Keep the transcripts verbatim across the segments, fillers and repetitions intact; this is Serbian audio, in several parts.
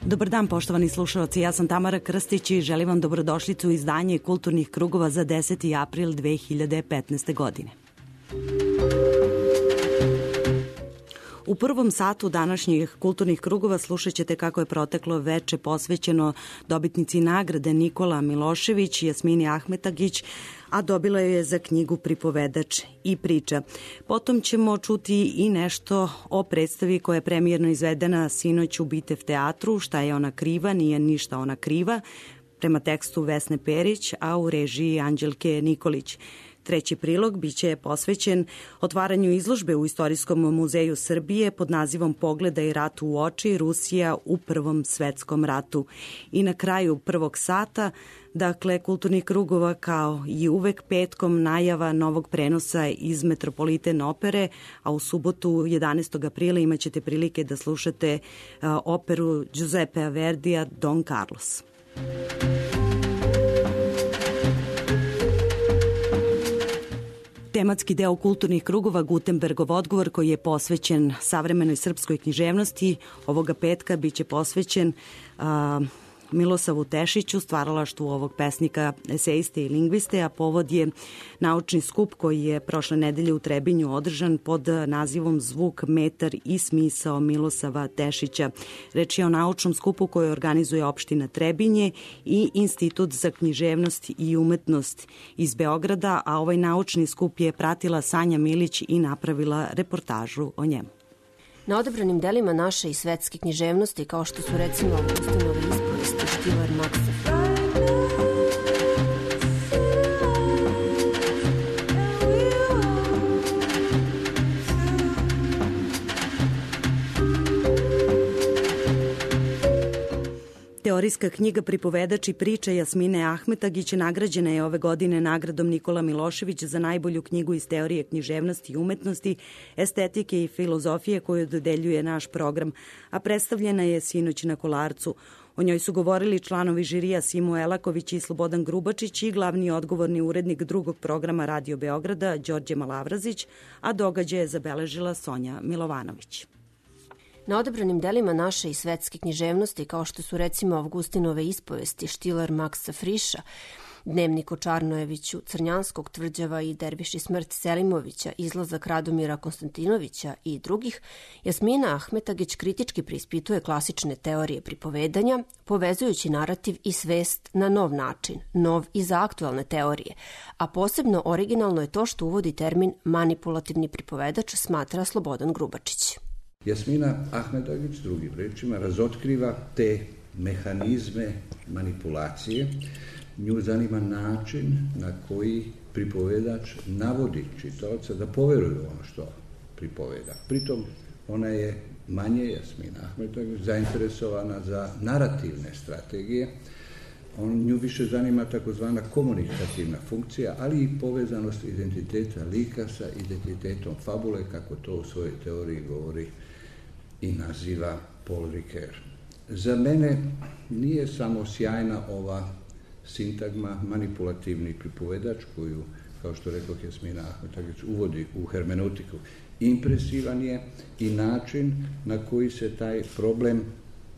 Dobar dan, poštovani slušalci, ja sam Tamara Krstić i želim vam dobrodošlicu u izdanje Kulturnih krugova za deseti april dve hiljade petnaeste. godine. U prvom satu današnjih kulturnih krugova slušat ćete kako je proteklo veče posvećeno dobitnici nagrade Nikola Milošević, Jasmini Ahmetagić, a dobila je za knjigu Pripovedač i priča. Potom ćemo čuti i nešto o predstavi koja je premijerno izvedena sinoć u Bitev teatru, Šta je ona kriva, nije ništa ona kriva, prema tekstu Vesne Perić, a u režiji Anđelke Nikolić. Treći prilog biće posvećen otvaranju izložbe u Istorijskom muzeju Srbije pod nazivom Pogledaj ratu u oči, Rusija u Prvom svetskom ratu. I na kraju prvog sata, dakle, kulturnih krugova kao i uvek petkom najava novog prenosa iz Metropoliten opere, a u subotu jedanaestog aprila imat ćete prilike da slušate operu Giuseppea Verdija Don Carlos. Tematski deo kulturnih krugova Gutenbergov odgovor, koji je posvećen savremenoj srpskoj književnosti, ovoga petka biće posvećen a, Milosavu Tešiću, stvaralaštvu ovog pesnika, esejiste i lingviste, a povod je naučni skup koji je prošle nedelje u Trebinju održan pod nazivom Zvuk, metar i smisao Milosava Tešića. Reč je o naučnom skupu koji organizuje opština Trebinje i Institut za književnost i umetnost iz Beograda, a ovaj naučni skup je pratila Sanja Milić i napravila reportažu o njemu. Na odabranim delima naše i svetske književnosti, kao što su recimo Augustinove ispovesti, Štilar Maksa. Teorijska knjiga Pripovedač i priča Jasmine Ahmetagić nagrađena je ove godine nagradom Nikola Milošević za najbolju knjigu iz teorije književnosti i umetnosti, estetike i filozofije koju dodeljuje naš program, a predstavljena je sinoć na Kolarcu. O njoj su govorili članovi žirija Simo Elaković i Slobodan Grubačić i glavni odgovorni urednik drugog programa Radio Beograda Đorđe Malavrazić, a događaj je zabeležila Sonja Milovanović. Na odabranim delima naše i svetske književnosti, kao što su recimo Augustinove ispovesti, Štilar Maksa Friša, Dnevnik o Čarnojeviću, Crnjanskog tvrđava i Derviši smrt Selimovića, Izlazak Radomira Konstantinovića i drugih, Jasmina Ahmetagić kritički preispituje klasične teorije pripovedanja, povezujući narativ i svest na nov način, nov i za aktualne teorije, a posebno originalno je to što uvodi termin manipulativni pripovedač, smatra Slobodan Grubačić. Jasmina Ahmetagić, drugim rečima, razotkriva te mehanizme manipulacije. Nju zanima način na koji pripovedač navodi čitaoca da poveruje ono što pripoveda. Pritom ona je manje, Jasmina Ahmetagić, zainteresovana za narativne strategije. On, nju više zanima takozvana komunikativna funkcija, ali i povezanost identiteta lika sa identitetom fabule, kako to u svojoj teoriji govori i naziva Paul Ricoeur. Za mene nije samo sjajna ova sintagma manipulativni pripovedač koju, kao što rekao Jasmina Ahmetagić, uvodi u hermeneutiku. Impresivan je i način na koji se taj problem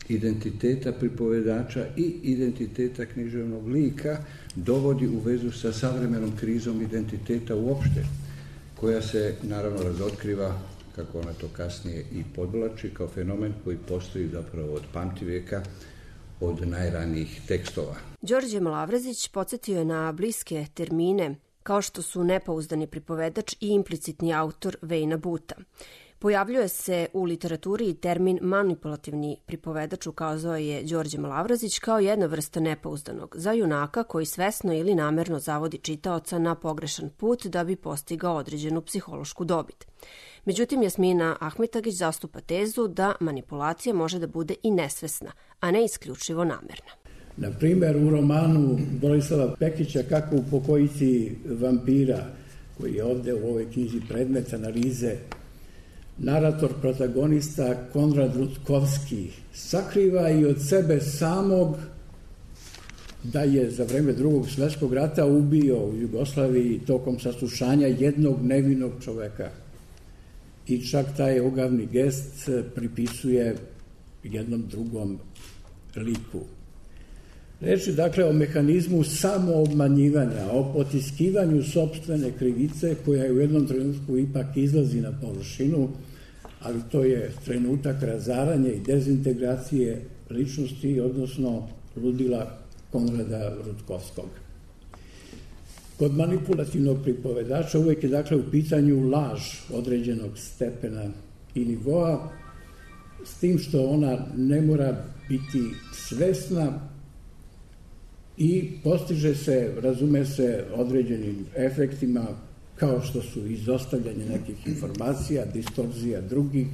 identiteta pripovedača i identiteta književnog lika dovodi u vezu sa savremenom krizom identiteta uopšte, koja se naravno razotkriva, kako ona to kasnije i podvlači, kao fenomen koji postoji zapravo od pamtivijeka, od najranijih tekstova. Đorđe Malavrazić podsjetio je na bliske termine, kao što su nepouzdani pripovedač i implicitni autor Vejna Buta. Pojavljuje se u literaturi i termin manipulativni pripovedač, ukazao je Đorđe Malavrazić, kao jedna vrsta nepouzdanog, za junaka koji svesno ili namerno zavodi čitaoca na pogrešan put da bi postigao određenu psihološku dobit. Međutim, Jasmina Ahmetagić zastupa tezu da manipulacija može da bude i nesvesna, a ne isključivo namerna. Na primjer, u romanu Borislava Pekića Kako u pokojici vampira, koji je ovde u ovoj knjizi predmet analize, narator, protagonista Konrad Rutkovski sakriva i od sebe samog da je za vreme Drugog svjetskog rata ubio u Jugoslaviji tokom saslušanja jednog nevinog čoveka. I čak taj ogavni gest pripisuje jednom drugom liku. Reč je dakle o mehanizmu samoobmanjivanja, o potiskivanju sopstvene krivice koja u jednom trenutku ipak izlazi na površinu, ali to je trenutak razaranja i dezintegracije ličnosti, odnosno ludila Konrada Rutkovskog. Kod manipulativnog pripovedača uvek je dakle u pitanju laž određenog stepena i nivoa, s tim što ona ne mora biti svesna i postiže se, razume se, određenim efektima kao što su izostavljanje nekih informacija, distorzija drugih,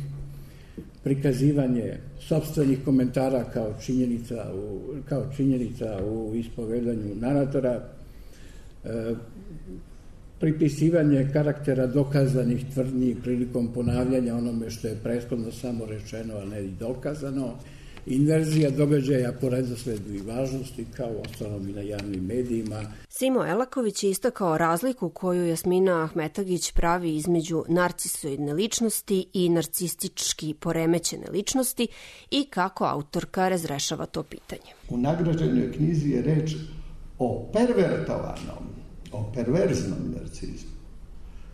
prikazivanje sopstvenih komentara kao činjenica u, kao činjenica u ispovedanju naratora, e, pripisivanje karaktera dokazanih tvrdnji prilikom ponavljanja onome što je prethodno samo rečeno, a ne i dokazano, inverzija događaja po redosledu i važnosti, kao ostalom i na javnim medijima. Simo Elaković je istakao razliku koju Jasmina Ahmetagić pravi između narcisoidne ličnosti i narcistički poremećene ličnosti i kako autorka razrešava to pitanje. U nagrađenoj knjizi je reč o pervertovanom, o perverznom narcizmu,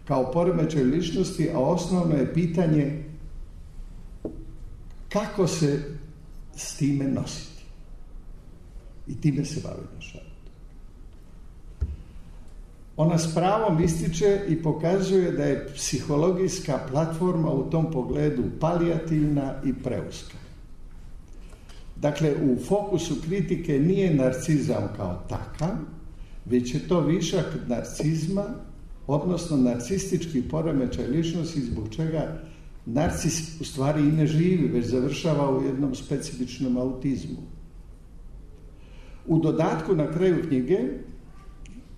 kao poremećaj ličnosti, a osnovno je pitanje kako se s time nositi. I time se bavi naš autor. Ona s pravom ističe i pokazuje da je psihologijska platforma u tom pogledu palijativna i preuska. Dakle, u fokusu kritike nije narcizam kao takav, već je to višak narcizma, odnosno narcistički poremećaj ličnosti, zbog čega narcis u stvari i ne živi, već završava u jednom specifičnom autizmu. U dodatku na kraju knjige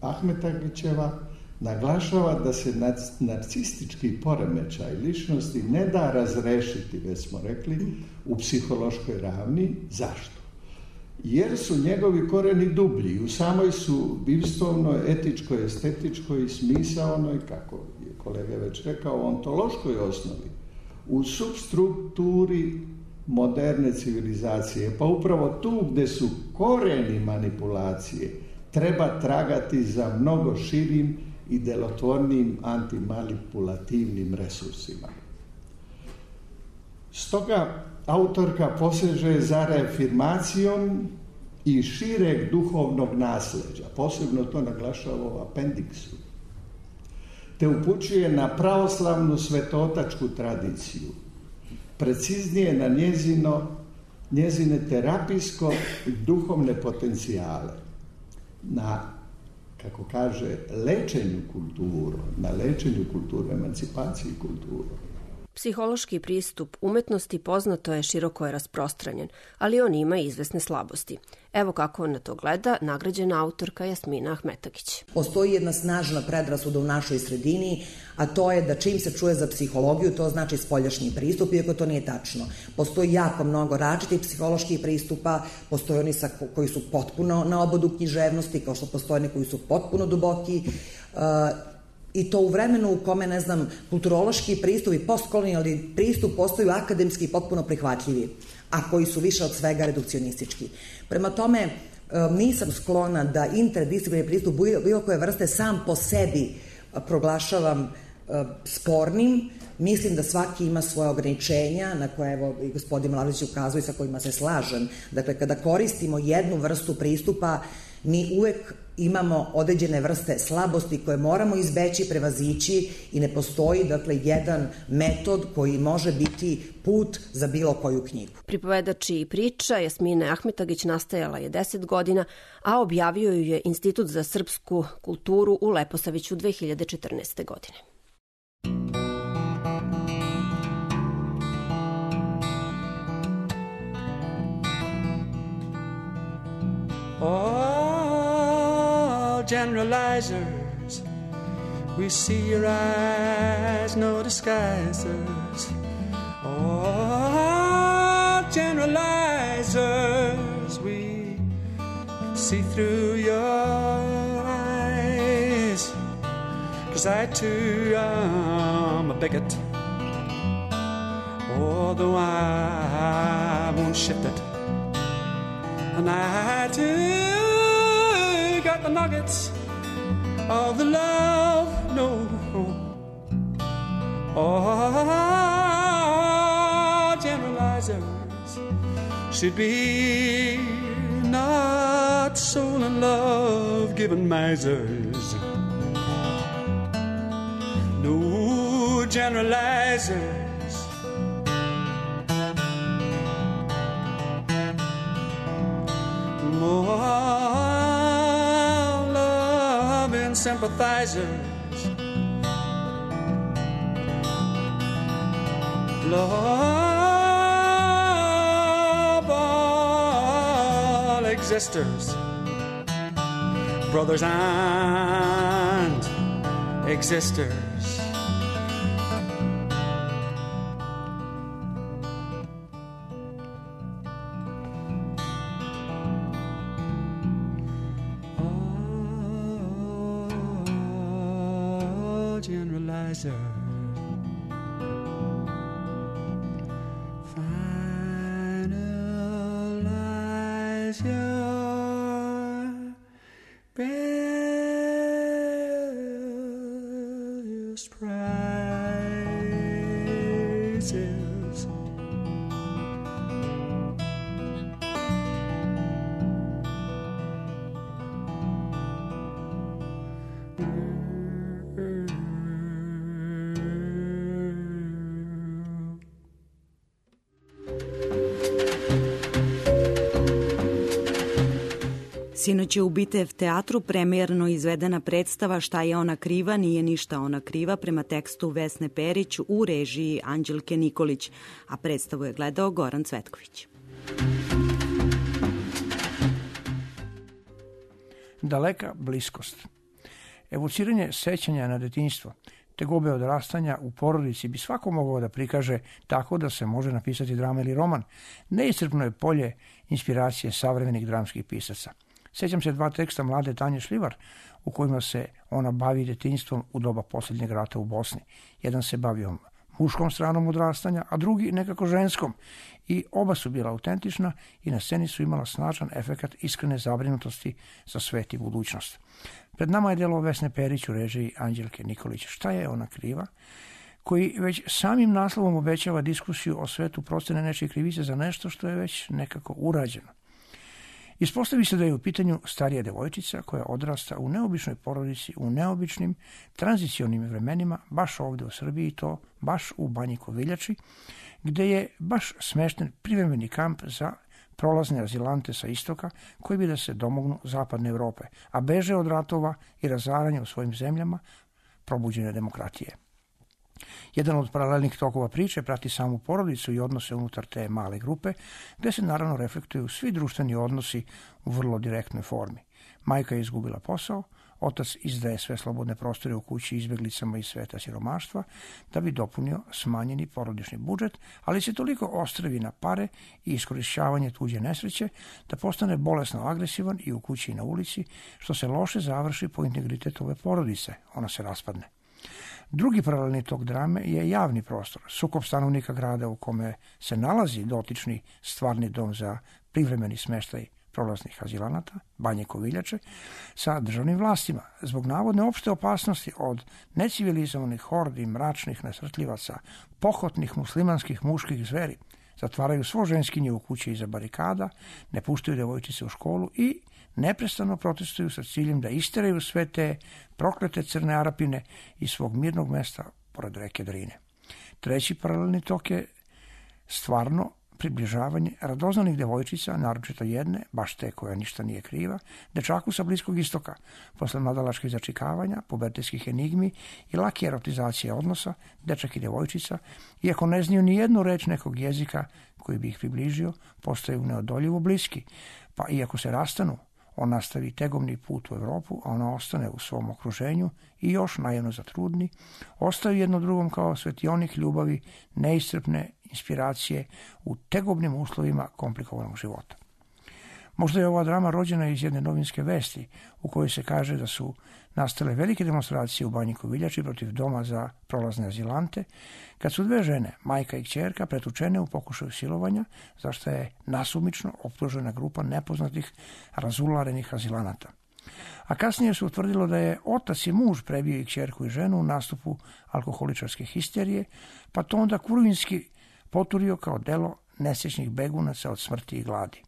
Ahmetagićeva naglašava da se narcistički poremećaj ličnosti ne da razrešiti, već smo rekli, u psihološkoj ravni. Zašto? Jer su njegovi koreni dublji, u samoj su bivstvovnoj, etičkoj, estetičkoj, smisaonoj, kako je kolega već rekao, ontološkoj osnovi, u substrukturi moderne civilizacije. Pa upravo tu gde su koreni manipulacije treba tragati za mnogo širim i delotvornim antimanipulativnim resursima. Stoga autorka poseže za reafirmacijom i šireg duhovnog nasleđa, posebno to naglašava u apendiksu, te upućuje na pravoslavnu svetotačku tradiciju, preciznije na njezino, njezine terapijsko i duhovne potencijale, na, kako kaže, lečenju kulturu, na lečenju kulturu, emancipaciji kulturu. Psihološki pristup umetnosti poznato je široko je rasprostranjen, ali on ima izvesne slabosti. Evo kako on na to gleda nagrađena autorka Jasmina Ahmetagić. Postoji jedna snažna predrasuda u našoj sredini, a to je da čim se čuje za psihologiju, to znači spoljašnji pristup, iako to nije tačno. Postoji jako mnogo različitih psiholoških pristupa, postoje oni sa, koji su potpuno na obodu književnosti, kao što postoje oni koji su potpuno duboki, uh, i to u vremenu u kome, ne znam, kulturološki pristup i postkolonijalni pristup postaju akademski potpuno prihvatljivi, a koji su više od svega redukcionistički. Prema tome, nisam sklona da interdisciplinarni pristup bilo koje vrste sam po sebi proglašavam spornim. Mislim da svaki ima svoje ograničenja, na koje evo i gospodin Mladović ukazuje, sa kojima se slažem. Dakle, kada koristimo jednu vrstu pristupa, mi uvek imamo određene vrste slabosti koje moramo izbeći, prevazići i ne postoji, dakle, jedan metod koji može biti put za bilo koju knjigu. Pripovedač i priča Jasmine Ahmetagić nastajala je deset godina, a objavio ju je Institut za srpsku kulturu u Leposaviću dve hiljade četrnaeste. godine. Oh, generalizers, we see your eyes, no disguisers. Oh, generalizers, we see through your eyes. 'Cause I too am a bigot, although I won't shift it. And I too got the nuggets of the love, no. All generalizers should be not soul and love given misers. No generalizers. More loving sympathizers. Love all existers, brothers and existers. All generalizers. Your best prizes. Sinoć je u Bitev teatru premijerno izvedena predstava Šta je ona kriva, nije ništa ona kriva, prema tekstu Vesne Perić u režiji Anđelke Nikolić, a predstavu je gledao Goran Cvetković. Daleka bliskost. Evociranje sećanja na detinjstvo, tegobe odrastanja u porodici bi svako mogao da prikaže tako da se može napisati drama ili roman. Neiscrpno je polje inspiracije savremenih dramskih pisaca. Sjećam se dva teksta mlade Tanje Šljivar u kojima se ona bavi detinjstvom u doba posljednjeg rata u Bosni. Jedan se bavio muškom stranom odrastanja, a drugi nekako ženskom. I oba su bila autentična i na sceni su imala snažan efekat iskrene zabrinutosti za svet i budućnost. Pred nama je delo Vesne Perić u režiji Anđelke Nikolić. Šta je ona kriva? Koji već samim naslovom obećava diskusiju o svetu procene nečije krivice za nešto što je već nekako urađeno. Ispostavi se da je u pitanju starija devojčica koja odrasta u neobičnoj porodici, u neobičnim tranzicionim vremenima, baš ovde u Srbiji, to baš u Banji Koviljači, gde je baš smešten privremeni kamp za prolazne azilante sa istoka koji bi da se domognu zapadne Evrope, a beže od ratova i razaranja u svojim zemljama probuđene demokratije. Jedan od paralelnih tokova priče prati samu porodicu i odnose unutar te male grupe, gde se naravno reflektuju svi društveni odnosi u vrlo direktnoj formi. Majka je izgubila posao, otac izdaje sve slobodne prostore u kući izbeglicama iz sveta siromaštva da bi dopunio smanjeni porodični budžet, ali se toliko ostravi na pare i iskorišćavanje tuđe nesreće da postane bolesno agresivan i u kući i na ulici, što se loše završi po integritetu ove porodice, ona se raspadne. Drugi paralelni tok drame je javni prostor, sukob stanovnika grada u kome se nalazi dotični stvarni dom za privremeni smeštaj prolaznih azilanata, Banje Koviljače, sa državnim vlastima, zbog navodne opšte opasnosti od necivilizovanih hordi, mračnih nasrtljivaca, pohotnih muslimanskih muških zveri, zatvaraju svo ženskinje u kući iza barikada, ne puštaju devojčice u školu i neprestano protestuju sa ciljem da isteraju sve te proklete crne Arapine iz svog mirnog mesta pored reke Drine. Treći paralelni tok je stvarno približavanje radoznanih devojčica, naročito jedne, baš te koja ništa nije kriva, dečaku sa Bliskog istoka, posle mladalačkih začikavanja, pubertetskih enigmi i lake erotizacije odnosa, dečak i devojčica, iako ne znaju ni jednu reč nekog jezika koji bi ih približio, postaju neodoljivo bliski, pa iako se rastanu, on nastavi tegovni put u Evropu, a ona ostane u svom okruženju i još naivno zatrudni, ostaju jedno drugom kao svetionik ljubavi, neiscrpne inspiracije u tegobnim uslovima komplikovanog života. Možda je ova drama rođena iz jedne novinske vesti u kojoj se kaže da su nastale velike demonstracije u Banjiku Viljači protiv doma za prolazne azilante, kad su dve žene, majka i kćerka, pretučene u pokušaju silovanja, zašto je nasumično optužena grupa nepoznatih razularenih azilanata. A kasnije se utvrdilo da je otac i muž prebio i kćerku i ženu u nastupu alkoholičarske histerije, pa to onda kurvinski poturio kao delo nesrećnih begunaca od smrti i gladi.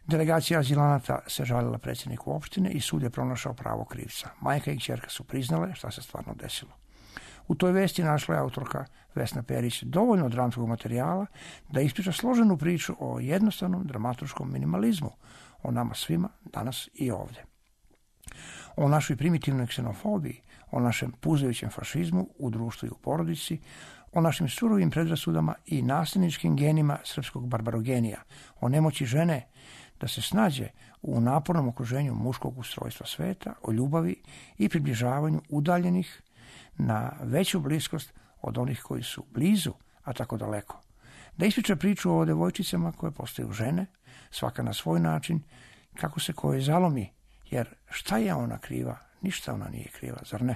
Delegacija azilanata se žalila predsjedniku opštine i sud je pronašao pravo krivca. Majka i kćerka su priznale šta se stvarno desilo. U toj vesti našla je autorka Vesna Perić dovoljno dramskog materijala da ispriča složenu priču o jednostavnom dramaturškom minimalizmu, o nama svima danas i ovdje. O našoj primitivnoj ksenofobiji, o našem puzajućem fašizmu u društvu i u porodici, o našim surovim predrasudama i nasilničkim genima srpskog barbarogenija, o nemoći žene da se snađe u napornom okruženju muškog ustrojstva sveta, o ljubavi i približavanju udaljenih na veću bliskost od onih koji su blizu, a tako daleko. Da ispriča priču o devojčicama koje postaju žene, svaka na svoj način, kako se koje zalomi, jer šta je ona kriva? Ništa ona nije kriva, zar ne?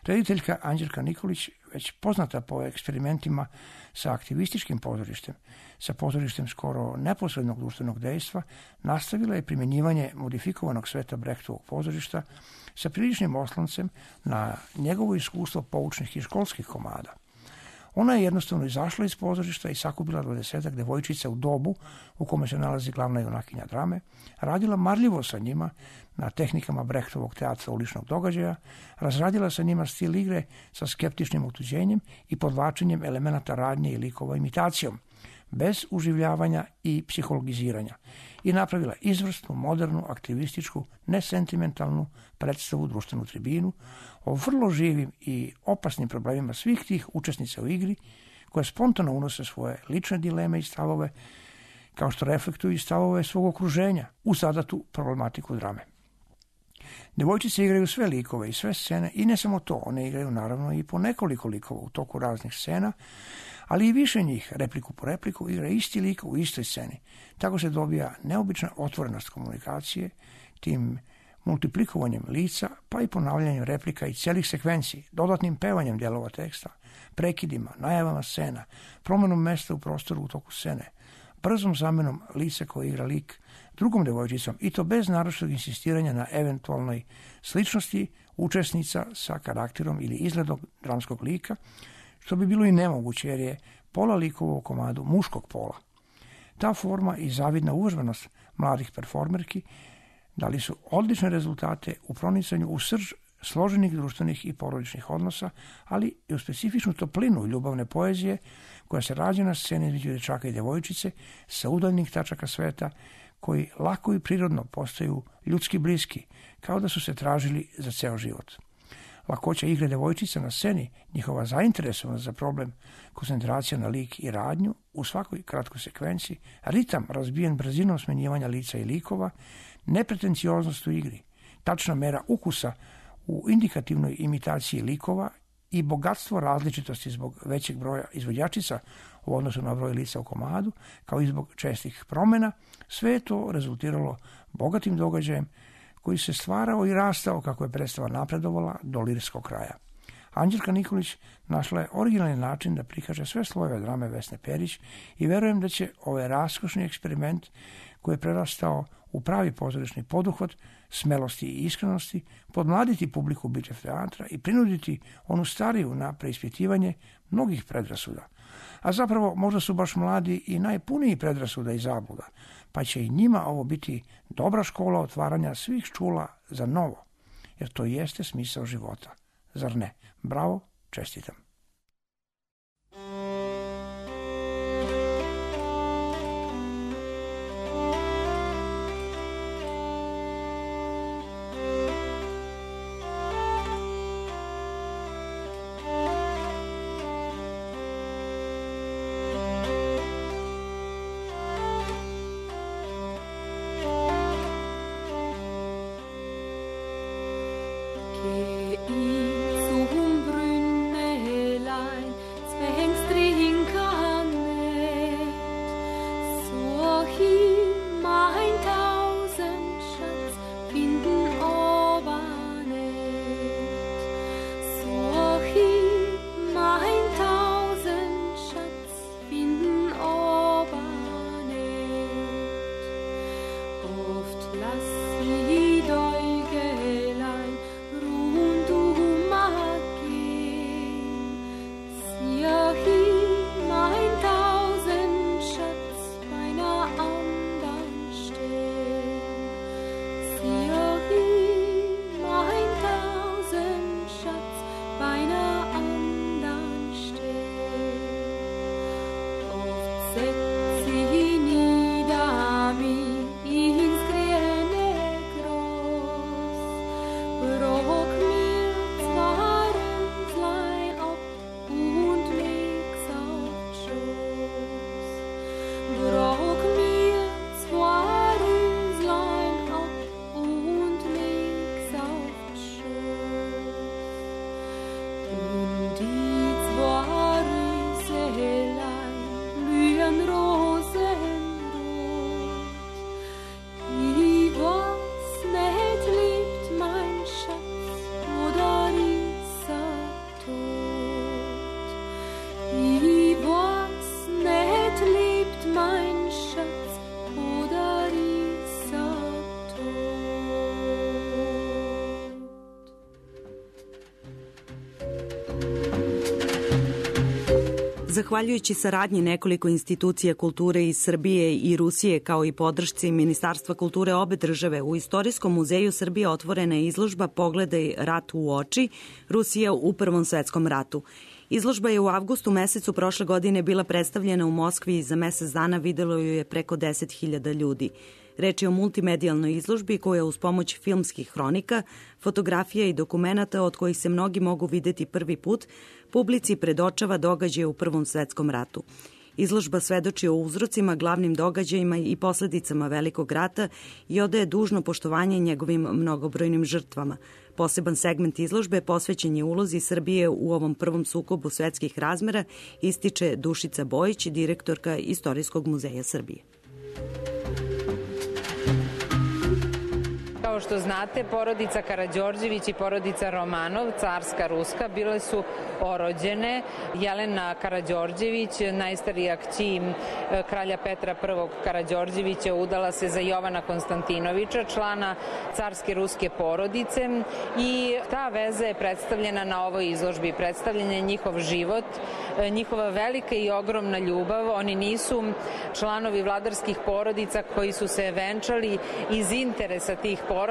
Rediteljka Anđelka Nikolić, već poznata po eksperimentima sa aktivističkim pozorištem, sa pozorištem skoro neposrednog društvenog dejstva, nastavila je primjenjivanje modifikovanog sveta Brechtovog pozorišta sa priličnim osloncem na njegovo iskustvo poučnih i školskih komada. Ona je jednostavno izašla iz pozorišta i sakupila dvadesetak devojčica u dobu u kome se nalazi glavna junakinja drame, radila marljivo sa njima na tehnikama Brechtovog teatra uličnog događaja, razradila sa njima stil igre sa skeptičnim otuđenjem i podvlačenjem elemenata radnje i likova imitacijom, bez uživljavanja i psihologiziranja, i napravila izvrsnu, modernu, aktivističku, nesentimentalnu predstavu, društvenu tribinu o vrlo živim i opasnim problemima svih tih učesnica u igri, koje spontano unose svoje lične dileme i stavove, kao što reflektuju i stavove svog okruženja u zadatu problematiku drame. Devojčice igraju sve likove i sve scene, i ne samo to, one igraju naravno i po nekoliko likova u toku raznih scena, ali i više njih, repliku po repliku, igra isti lik u istoj sceni. Tako se dobija neobična otvorenost komunikacije, tim multiplikovanjem lica, pa i ponavljanjem replika i celih sekvenciji, dodatnim pevanjem dijelova teksta, prekidima, najavama scena, promenom mesta u prostoru u toku scene, brzom zamenom lica koje igra lik drugom devojčicom, i to bez naročitog insistiranja na eventualnoj sličnosti učesnica sa karakterom ili izgledom dramskog lika, što bi bilo i nemoguće jer je pola likova u komadu muškog pola. Ta forma i zavidna uvežbanost mladih performerki dali su odlične rezultate u pronicanju u srž složenih društvenih i porodičnih odnosa, ali i u specifičnu toplinu ljubavne poezije koja se rađa na sceni između dečaka i devojčice sa udaljnih tačaka sveta, koji lako i prirodno postaju ljudski bliski, kao da su se tražili za ceo život. Lakoća igre devojčica na sceni, njihova zainteresovanost za problem, koncentracija na lik i radnju u svakoj kratkoj sekvenciji, ritam razbijen brzinom smenjivanja lica i likova, nepretencioznost u igri, tačna mera ukusa u indikativnoj imitaciji likova i bogatstvo različitosti zbog većeg broja izvođačica u odnosu na broj lica u komadu, kao i zbog čestih promjena, sve je to rezultiralo bogatim događajem koji se stvarao i rastao kako je predstava napredovala do lirskog kraja. Anđelka Nikolić našla je originalni način da prikaže sve slojeve drame Vesne Perić i verujem da će ovaj raskošni eksperiment koji je prerastao u pravi pozorišni poduhvat smelosti i iskrenosti podmladiti publiku Bičev teatra i prinuditi onu stariju na preispitivanje mnogih predrasuda. A zapravo možda su baš mladi i najpuniji predrasuda i zabluda, pa će i njima ovo biti dobra škola otvaranja svih čula za novo, jer to jeste smisao života. Zar ne? Bravo, čestitam. Che in zum brunne Zahvaljujući saradnji nekoliko institucija kulture iz Srbije i Rusije, kao i podršci Ministarstva kulture obe države, u Istorijskom muzeju Srbije otvorena je izložba Pogledaj rat u oči, Rusija u Prvom svetskom ratu. Izložba je u avgustu mesecu prošle godine bila predstavljena u Moskvi i za mesec dana videlo ju je preko deset hiljada ljudi. Reč je o multimedijalnoj izložbi koja uz pomoć filmskih hronika, fotografija i dokumenata od kojih se mnogi mogu videti prvi put, publici predočava događaje u Prvom svetskom ratu. Izložba svedoči o uzrocima, glavnim događajima i posledicama Velikog rata i odaje dužno poštovanje njegovim mnogobrojnim žrtvama. Poseban segment izložbe posvećen je ulozi Srbije u ovom prvom sukobu svetskih razmera, ističe Dušica Bojić, direktorka Istorijskog muzeja Srbije. Kao što znate, porodica Karađorđević i porodica Romanov, carska ruska, bile su orođene. Jelena Karađorđević, najstarija kći kralja Petra prvog Karađorđevića, udala se za Jovana Konstantinovića, člana carske ruske porodice, i ta veza je predstavljena na ovoj izložbi. Predstavljen je njihov život, njihova velika i ogromna ljubav. Oni nisu članovi vladarskih porodica koji su se venčali iz interesa tih porodica,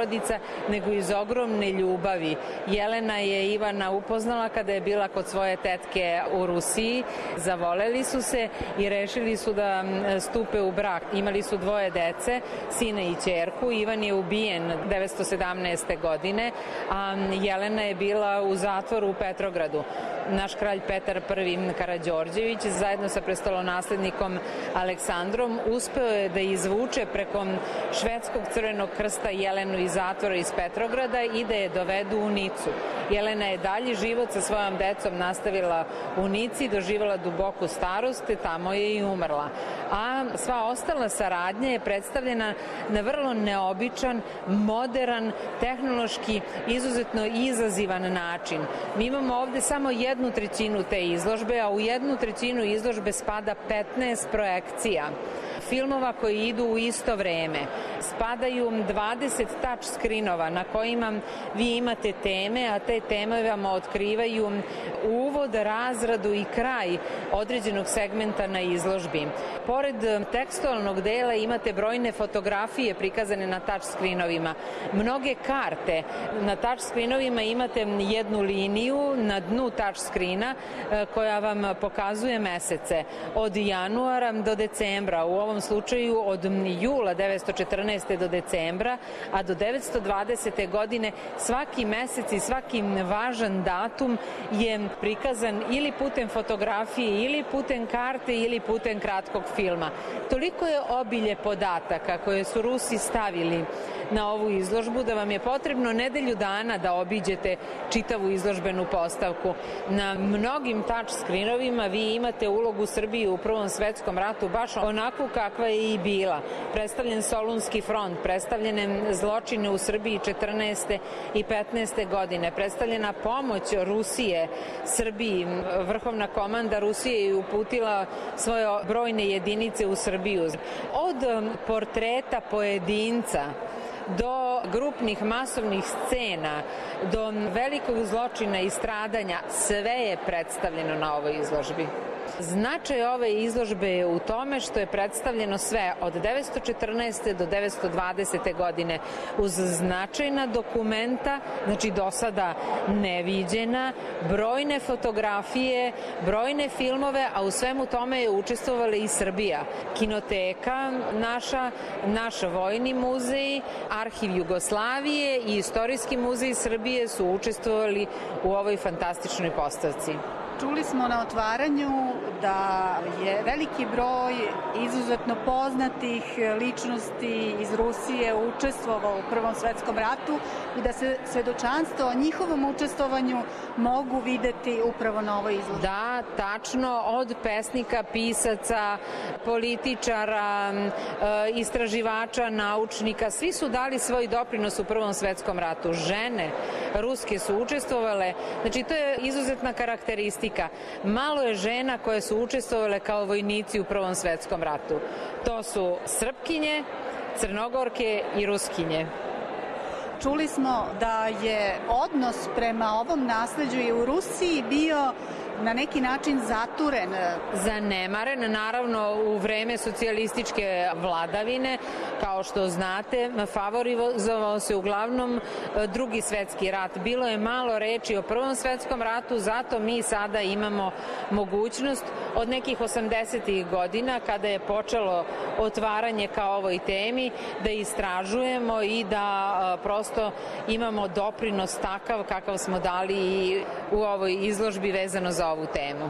nego iz ogromne ljubavi. Jelena je Ivana upoznala kada je bila kod svoje tetke u Rusiji. Zavoleli su se i rešili su da stupe u brak. Imali su dvoje dece, sina i ćerku. Ivan je ubijen devetsto sedamnaeste. godine, a Jelena je bila u zatvoru u Petrogradu. Naš kralj Petar prvi Karađorđević zajedno sa prestolonaslednikom Aleksandrom uspeo je da izvuče preko švedskog Crvenog krsta Jelenu iz zatvora iz Petrograda i da je dovedu u Nicu. Jelena je dalji život sa svojom decom nastavila u Nici, doživala duboku starost, te tamo je i umrla. A sva ostala saradnja je predstavljena na vrlo neobičan, modern, tehnološki, izuzetno izazivan način. Mi imamo ovde samo jednu trećinu te izložbe, a u jednu trećinu izložbe spada petnaest projekcija filmova koji idu u isto vreme. Spadaju dvadeset touch screenova na kojima vi imate teme, a te teme vam otkrivaju uvod, razradu i kraj određenog segmenta na izložbi. Pored tekstualnog dela imate brojne fotografije prikazane na touch screenovima, mnoge karte. Na touch screenovima imate jednu liniju na dnu touch screena koja vam pokazuje mesece od januara do decembra, u ovom slučaju od jula devetsto četrnaeste. do decembra, a do devetsto dvadesete. godine svaki mesec i svaki važan datum je prikazan ili putem fotografije, ili putem karte, ili putem kratkog filma. Toliko je obilje podataka koje su Rusi stavili na ovu izložbu da vam je potrebno nedelju dana da obiđete čitavu izložbenu postavku. Na mnogim touch screenovima vi imate ulogu Srbije u Prvom svetskom ratu baš onako kakva je i bila. Predstavljen Solunski front, predstavljene zločine u Srbiji četrnaeste i petnaeste. godine, predstavljena pomoć Rusije Srbiji. Vrhovna komanda Rusije je uputila svoje brojne jedinice u Srbiju. Od portreta pojedinca do grupnih masovnih scena, do velikog zločina i stradanja, sve je predstavljeno na ovoj izložbi. Značaj ove izložbe je u tome što je predstavljeno sve od devetsto četrnaeste do devetsto dvadesete godine uz značajna dokumenta, znači do sada neviđena, brojne fotografije, brojne filmove, a u svemu tome je učestvovala i Srbija. Kinoteka naša, naš Vojni muzej, Arhiv Jugoslavije i Istorijski muzej Srbije su učestvovali u ovoj fantastičnoj postavci. Čuli smo na otvaranju da je veliki broj izuzetno poznatih ličnosti iz Rusije učestvovao u Prvom svetskom ratu i da se svedočanstvo o njihovom učestvovanju mogu videti upravo na ovoj izložbi. Da, tačno, od pesnika, pisaca, političara, istraživača, naučnika, svi su dali svoj doprinos u Prvom svetskom ratu. Žene ruske su učestvovale, znači to je izuzetna karakteristika. Malo je žena koje su učestvovale kao vojnici u Prvom svetskom ratu. To su Srpkinje, Crnogorke i Ruskinje. Čuli smo da je odnos prema ovom nasleđu i u Rusiji bio na neki način zaturen. Zanemaren, naravno u vreme socijalističke vladavine, kao što znate, favorizovao se uglavnom Drugi svetski rat. Bilo je malo reči o Prvom svetskom ratu, zato mi sada imamo mogućnost od nekih osamdesetih godina, kada je počelo otvaranje ka ovoj temi, da istražujemo i da prosto imamo doprinos takav kakav smo dali i u ovoj izložbi vezano za ovu temu.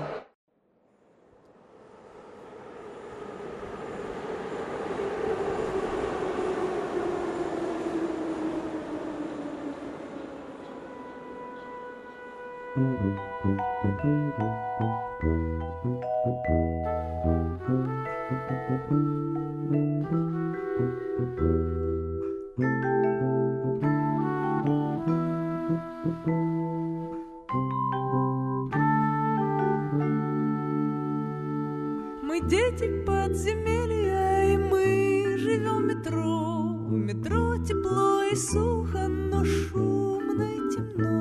Мы дети подземелья, и мы живем в метро. В метро тепло и сухо, но шумно и темно.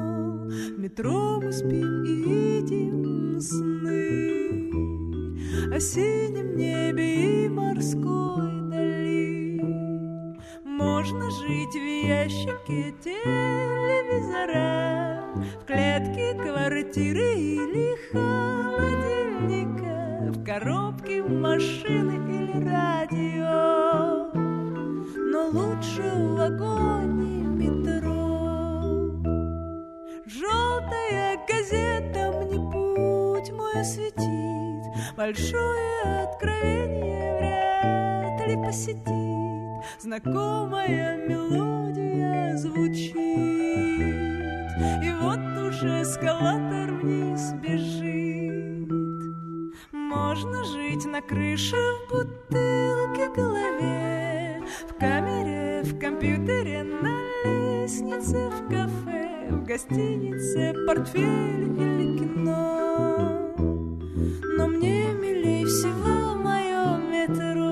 В метро мы спим и видим сны о синем небе и морской дали. Можно жить в ящике телевизора, в клетке квартиры или холодильника, в коробке машины или радио, но лучше в вагоне метро. Желтая газета мне путь мой осветит, большое откровение вряд ли посетит. Знакомая мелодия звучит, и вот уже эскалатор вниз бежит. Можно жить на крыше, в бутылке, в голове, в камере, в компьютере, на лестнице, в кафе, в гостинице, портфель или кино. Но мне милей всего мое метро.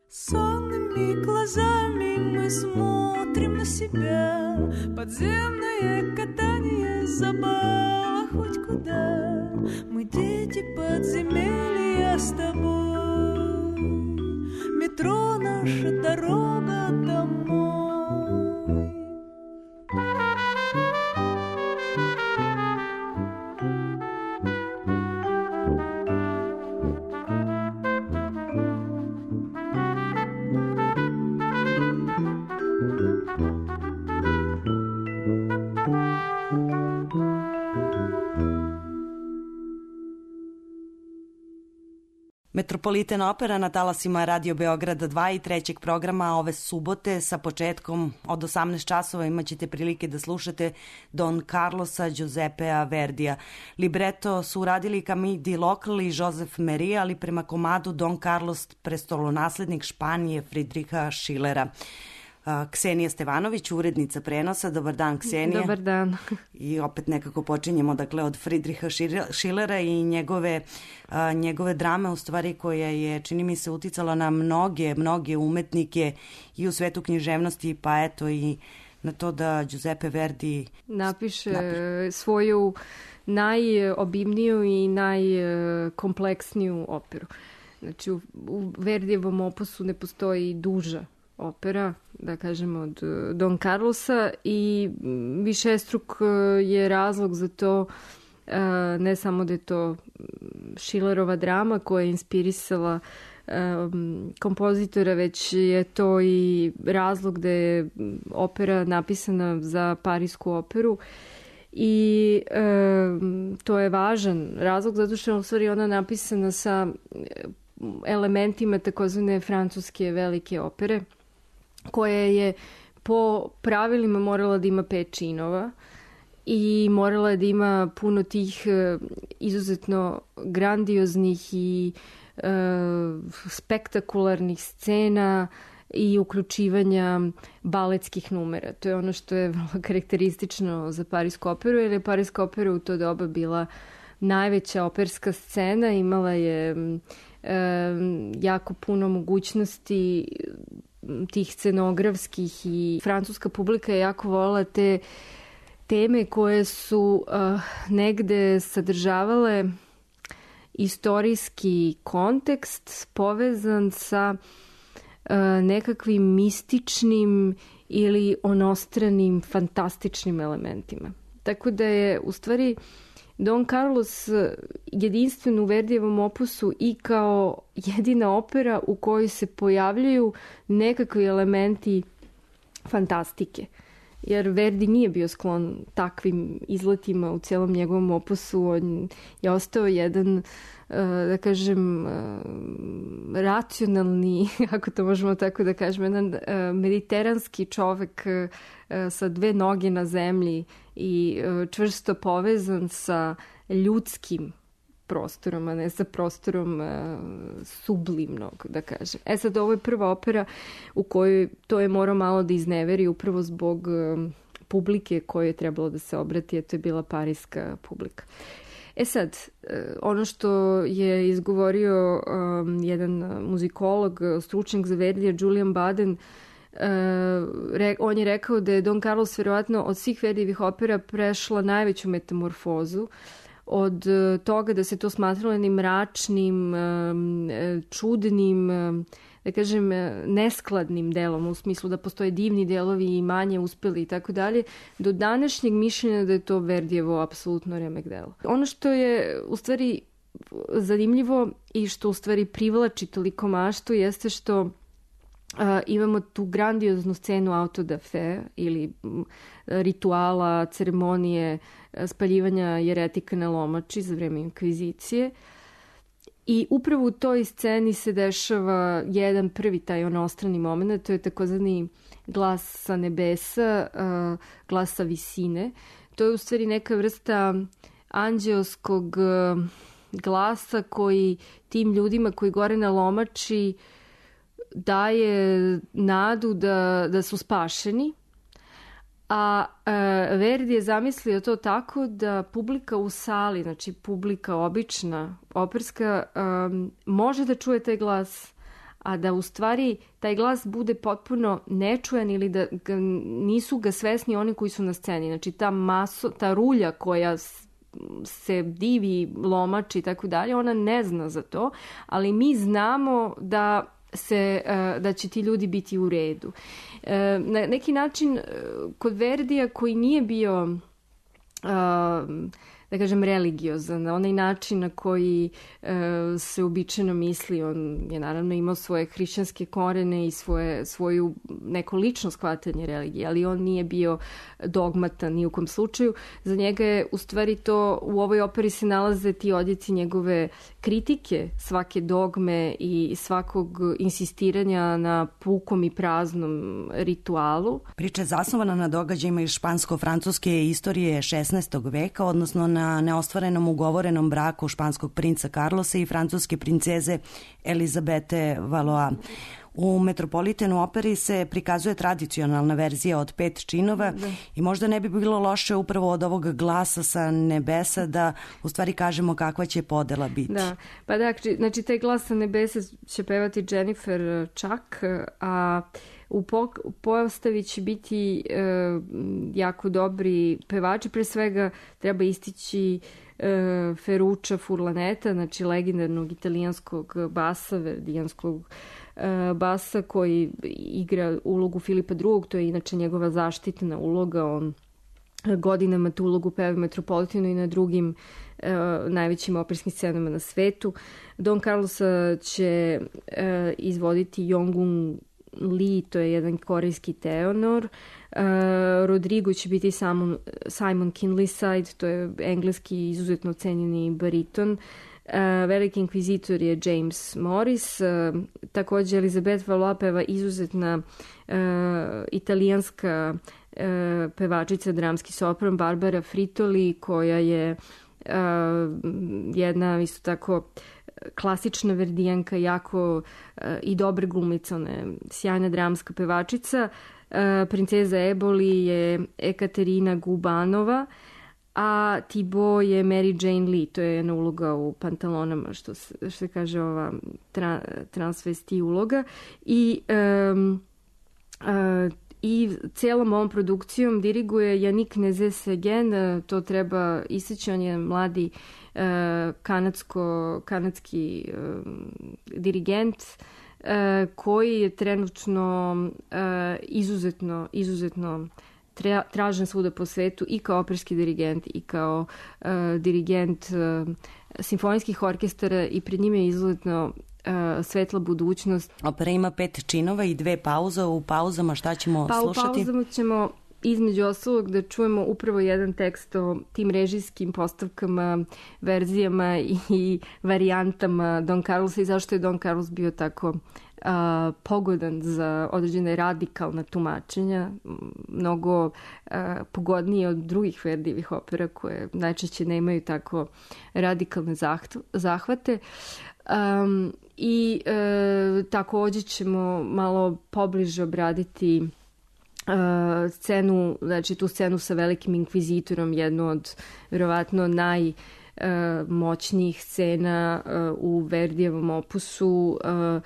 Сонными глазами мы смотрим на себя. Подземное катание, забава хоть куда. Мы дети подземелья с тобой. Метро — наша дорога домой. Metropolitan Opera na talasima Radio Beograda dva i trećeg programa ove subote sa početkom od osamnaest časova imaćete prilike da slušate Don Carlosa Giuseppea Verdija. Libreto su uradili Camille Di Local i Joseph Méry, ali prema komadu Don Carlos prestolonaslednik Španije Friedricha Schillera. Ksenija Stevanović, urednica prenosa. Dobar dan, Ksenija. Dobar dan. I opet nekako počinjemo dakle, od Friedricha Schillera i njegove, a, njegove drame, u stvari koja je, čini mi se, uticala na mnoge, mnoge umetnike i u svetu književnosti, pa eto i na to da Giuseppe Verdi napiše, napiše. svoju najobimniju i najkompleksniju operu. Znači, u, u Verdijevom opusu ne postoji duža opera, da kažemo, od Don Carlosa i višestruk je razlog za to, ne samo da je to Schillerova drama koja je inspirisala kompozitora, već je to i razlog da je opera napisana za Parisku operu i to je važan razlog zato što je u stvari ona napisana sa elementima takozvane francuske velike opere, koja je po pravilima morala da ima pet činova i morala da ima puno tih izuzetno grandioznih i e, spektakularnih scena i uključivanja baletskih numera. To je ono što je vrlo karakteristično za Parisku operu, jer je Pariska opera u to doba bila najveća operska scena, imala je e, jako puno mogućnosti tih scenografskih i francuska publika je jako volila te teme koje su uh, negde sadržavale istorijski kontekst povezan sa uh, nekakvim mističnim ili onostranim fantastičnim elementima. Tako da je u stvari Don Carlos jedinstven u Verdijevom opusu i kao jedina opera u kojoj se pojavljaju nekakvi elementi fantastike. Jer Verdi nije bio sklon takvim izletima u cijelom njegovom opusu. On je ostao jedan, da kažem, racionalni, ako to možemo tako da kažem, jedan mediteranski čovek sa dve noge na zemlji i čvrsto povezan sa ljudskim prostorom, a ne sa prostorom uh, sublimnog, da kažem. E sad, ovo je prva opera u kojoj to je morao malo da izneveri upravo zbog uh, publike koje je trebalo da se obrati, a to je bila pariska publika. E sad, uh, ono što je izgovorio um, jedan muzikolog, stručnjak za Verdija, Julian Baden, Uh, re, on je rekao da je Don Carlos verovatno od svih Verdijevih opera prešla najveću metamorfozu, od uh, toga da se to smatralo jednim mračnim, um, čudnim, um, da kažem, neskladnim delom, u smislu da postoje divni delovi i manje uspeli i tako dalje, do današnjeg mišljenja da je to Verdijevo apsolutno remek delo. Ono što je u stvari zanimljivo i što u stvari privlači toliko maštu jeste što Uh, imamo tu grandioznu scenu auto da fe ili m, rituala, ceremonije spaljivanja jeretika na lomači za vreme inkvizicije. I upravo u toj sceni se dešava jedan prvi taj onostrani moment, to je takozvani glas sa nebesa, uh, glas sa visine. To je u stvari neka vrsta anđeoskog uh, glasa koji tim ljudima koji gore na lomači daje nadu da, da su spašeni, a e, Verdi je zamislio to tako da publika u sali, znači publika obična, operska, e, može da čuje taj glas, a da u stvari taj glas bude potpuno nečujan ili da ga, nisu ga svesni oni koji su na sceni. Znači ta maso, ta rulja koja se divi, lomači i tako dalje, ona ne zna za to, ali mi znamo da se, da će ti ljudi biti u redu. Na neki način kod Verdija koji nije bio, da kažem, religiozan. Onaj način na koji e, se uobičajeno misli, on je naravno imao svoje hrišćanske korene i svoje, svoju neko lično shvatanje religije, ali on nije bio dogmatan ni u kom slučaju. Za njega je u stvari to, u ovoj operi se nalaze ti odjeci njegove kritike svake dogme i svakog insistiranja na pukom i praznom ritualu. Priča je zasnovana na događajima iz špansko-francuske istorije šesnaestog veka, odnosno na neostvarenom ugovorenom braku španskog princa Carlosa i francuske princeze Elizabete Valois. U Metropolitenu operi se prikazuje tradicionalna verzija od pet činova da. I možda ne bi bilo loše upravo od ovog glasa sa nebesa da u stvari kažemo kakva će podela biti. Da, pa da, znači taj glas sa nebesa će pevati Jennifer Chuck, a u postavi će biti e, jako dobri pevači, pre svega treba istići e, Ferruccia Furlaneta, znači legendarnog italijanskog basa, verdijanskog e, basa koji igra ulogu Filipa drugog, to je inače njegova zaštitna uloga, on godinama tu ulogu peva Metropolitenu i na drugim e, najvećim operskim scenama na svetu. Don Carlosa će e, izvoditi Yongun Lee, to je jedan korejski tenor. Uh, Rodrigo će biti Simon, Simon Kinleyside, to je engleski izuzetno cenjeni bariton. Uh, veliki inkvizitor je James Morris. Uh, također Elizabeth Valois peva izuzetna uh, italijanska uh, pevačica, dramski sopran Barbara Fritoli, koja je uh, jedna isto tako klasična verdijanka, jako uh, i dobra glumica, ona je sjajna dramska pevačica. Uh, princeza Eboli je Ekaterina Gubanova, a Tibo je Mary Jane Lee, to je jedna uloga u pantalonama, što se, što se kaže ova tra, transvesti uloga. I um, uh, i cijelom ovom produkcijom diriguje Yannick Nézet-Séguin, to treba istaći, on je mladi uh, kanadsko, kanadski uh, dirigent uh, koji je trenutno uh, izuzetno, izuzetno tra, tražen svuda po svetu i kao operski dirigent i kao uh, dirigent uh, simfonijskih orkestara i pred njime je izuzetno Uh, svetla budućnost. Opera ima pet činova i dve pauze. U pauzama šta ćemo pa, slušati? U pauzama ćemo između ostalog da čujemo upravo jedan tekst o tim režijskim postavkama, verzijama i, i varijantama Don Carlosa i zašto je Don Carlos bio tako uh, pogodan za određene radikalna tumačenja, mnogo uh, pogodnije od drugih Verdijevih opera koje najčešće nemaju tako radikalne zahvate. Um, i e, također ćemo malo pobliže obraditi e, scenu, znači tu scenu sa velikim inkvizitorom, jednu od vjerovatno najmoćnijih scena e, u Verdijevom opusu. E,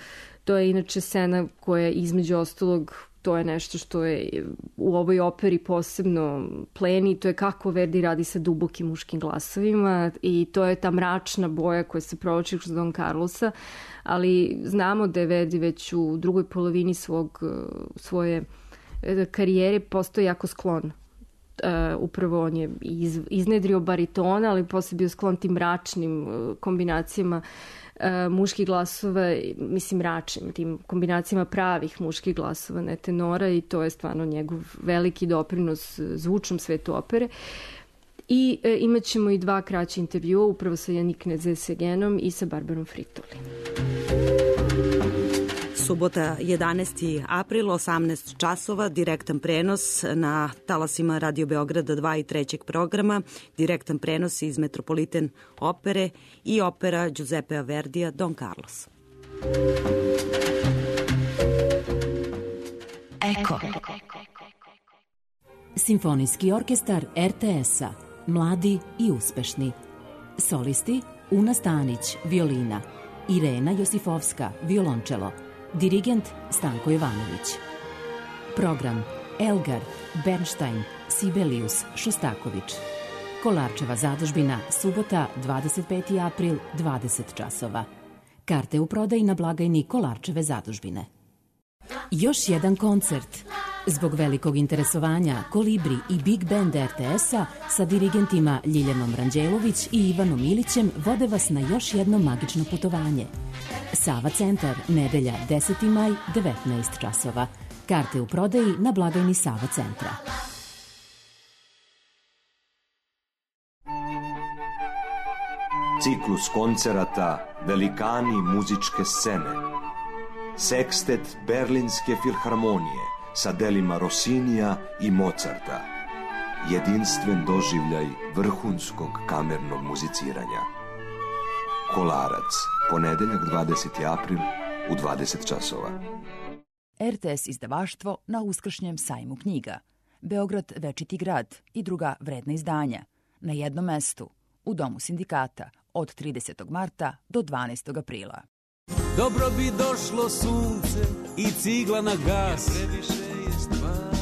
to je inače scena koja između ostalog, to je nešto što je u ovoj operi posebno pleni, to je kako Verdi radi sa dubokim muškim glasovima i to je ta mračna boja koja se provlači kroz Don Carlosa, ali znamo da je Verdi već u drugoj polovini svog, svoje karijere postao jako sklon. Uh, upravo on je iz, iznedrio baritona, ali posle bio sklon tim mračnim uh, kombinacijama uh, muških glasova, mislim mračnim, tim kombinacijama pravih muških glasova, ne tenora, i to je stvarno njegov veliki doprinos zvučnom svetu opere. I uh, imat ćemo i dva kraća intervjua, upravo sa Yannick Nézet-Séguinom i sa Barbarom Fritoli. Subota jedanaesti april, osamnaest časova, direktan prenos na talasima Radio Beograda dva i trećeg programa, direktan prenos iz Metropoliten opere i opera Giuseppea Verdija Don Carlos. Eko. Simfonijski orkestar er te es-a, mladi i uspešni. Solisti Una Stanić, violina, Irena Josifovska, violončelo, dirigent Stanko Jovanović. Program Elgar, Bernstein, Sibelius, Šostaković. Kolarčeva zadužbina, subota, dvadeset peti april, dvadeset časova. Karte u prodaji na blagajni Kolarčeve zadužbine. Još jedan koncert. Zbog velikog interesovanja, Kolibri i Big Band er te es-a sa dirigentima Ljiljanom Ranđelović i Ivanom Ilićem vode vas na još jedno magično putovanje. Sava centar, nedelja deseti maj, devetnaest časova. Karte u prodaji na blagajni Sava centra. Ciklus koncerata Velikani muzičke scene. Sekstet Berlinske filharmonije sa delima Rossinija i Mozarta. Jedinstven doživljaj vrhunskog kamernog muziciranja. Kolarac, ponedeljak dvadeseti april u dvadeset časova. er te es izdavaštvo na uskršnjem sajmu knjiga. Beograd večiti grad i druga vredna izdanja. Na jednom mestu, u Domu sindikata, od tridesetog marta do dvanaestog aprila. Dobro bi došlo sunce i cigla na gas. Jer previše je stvari,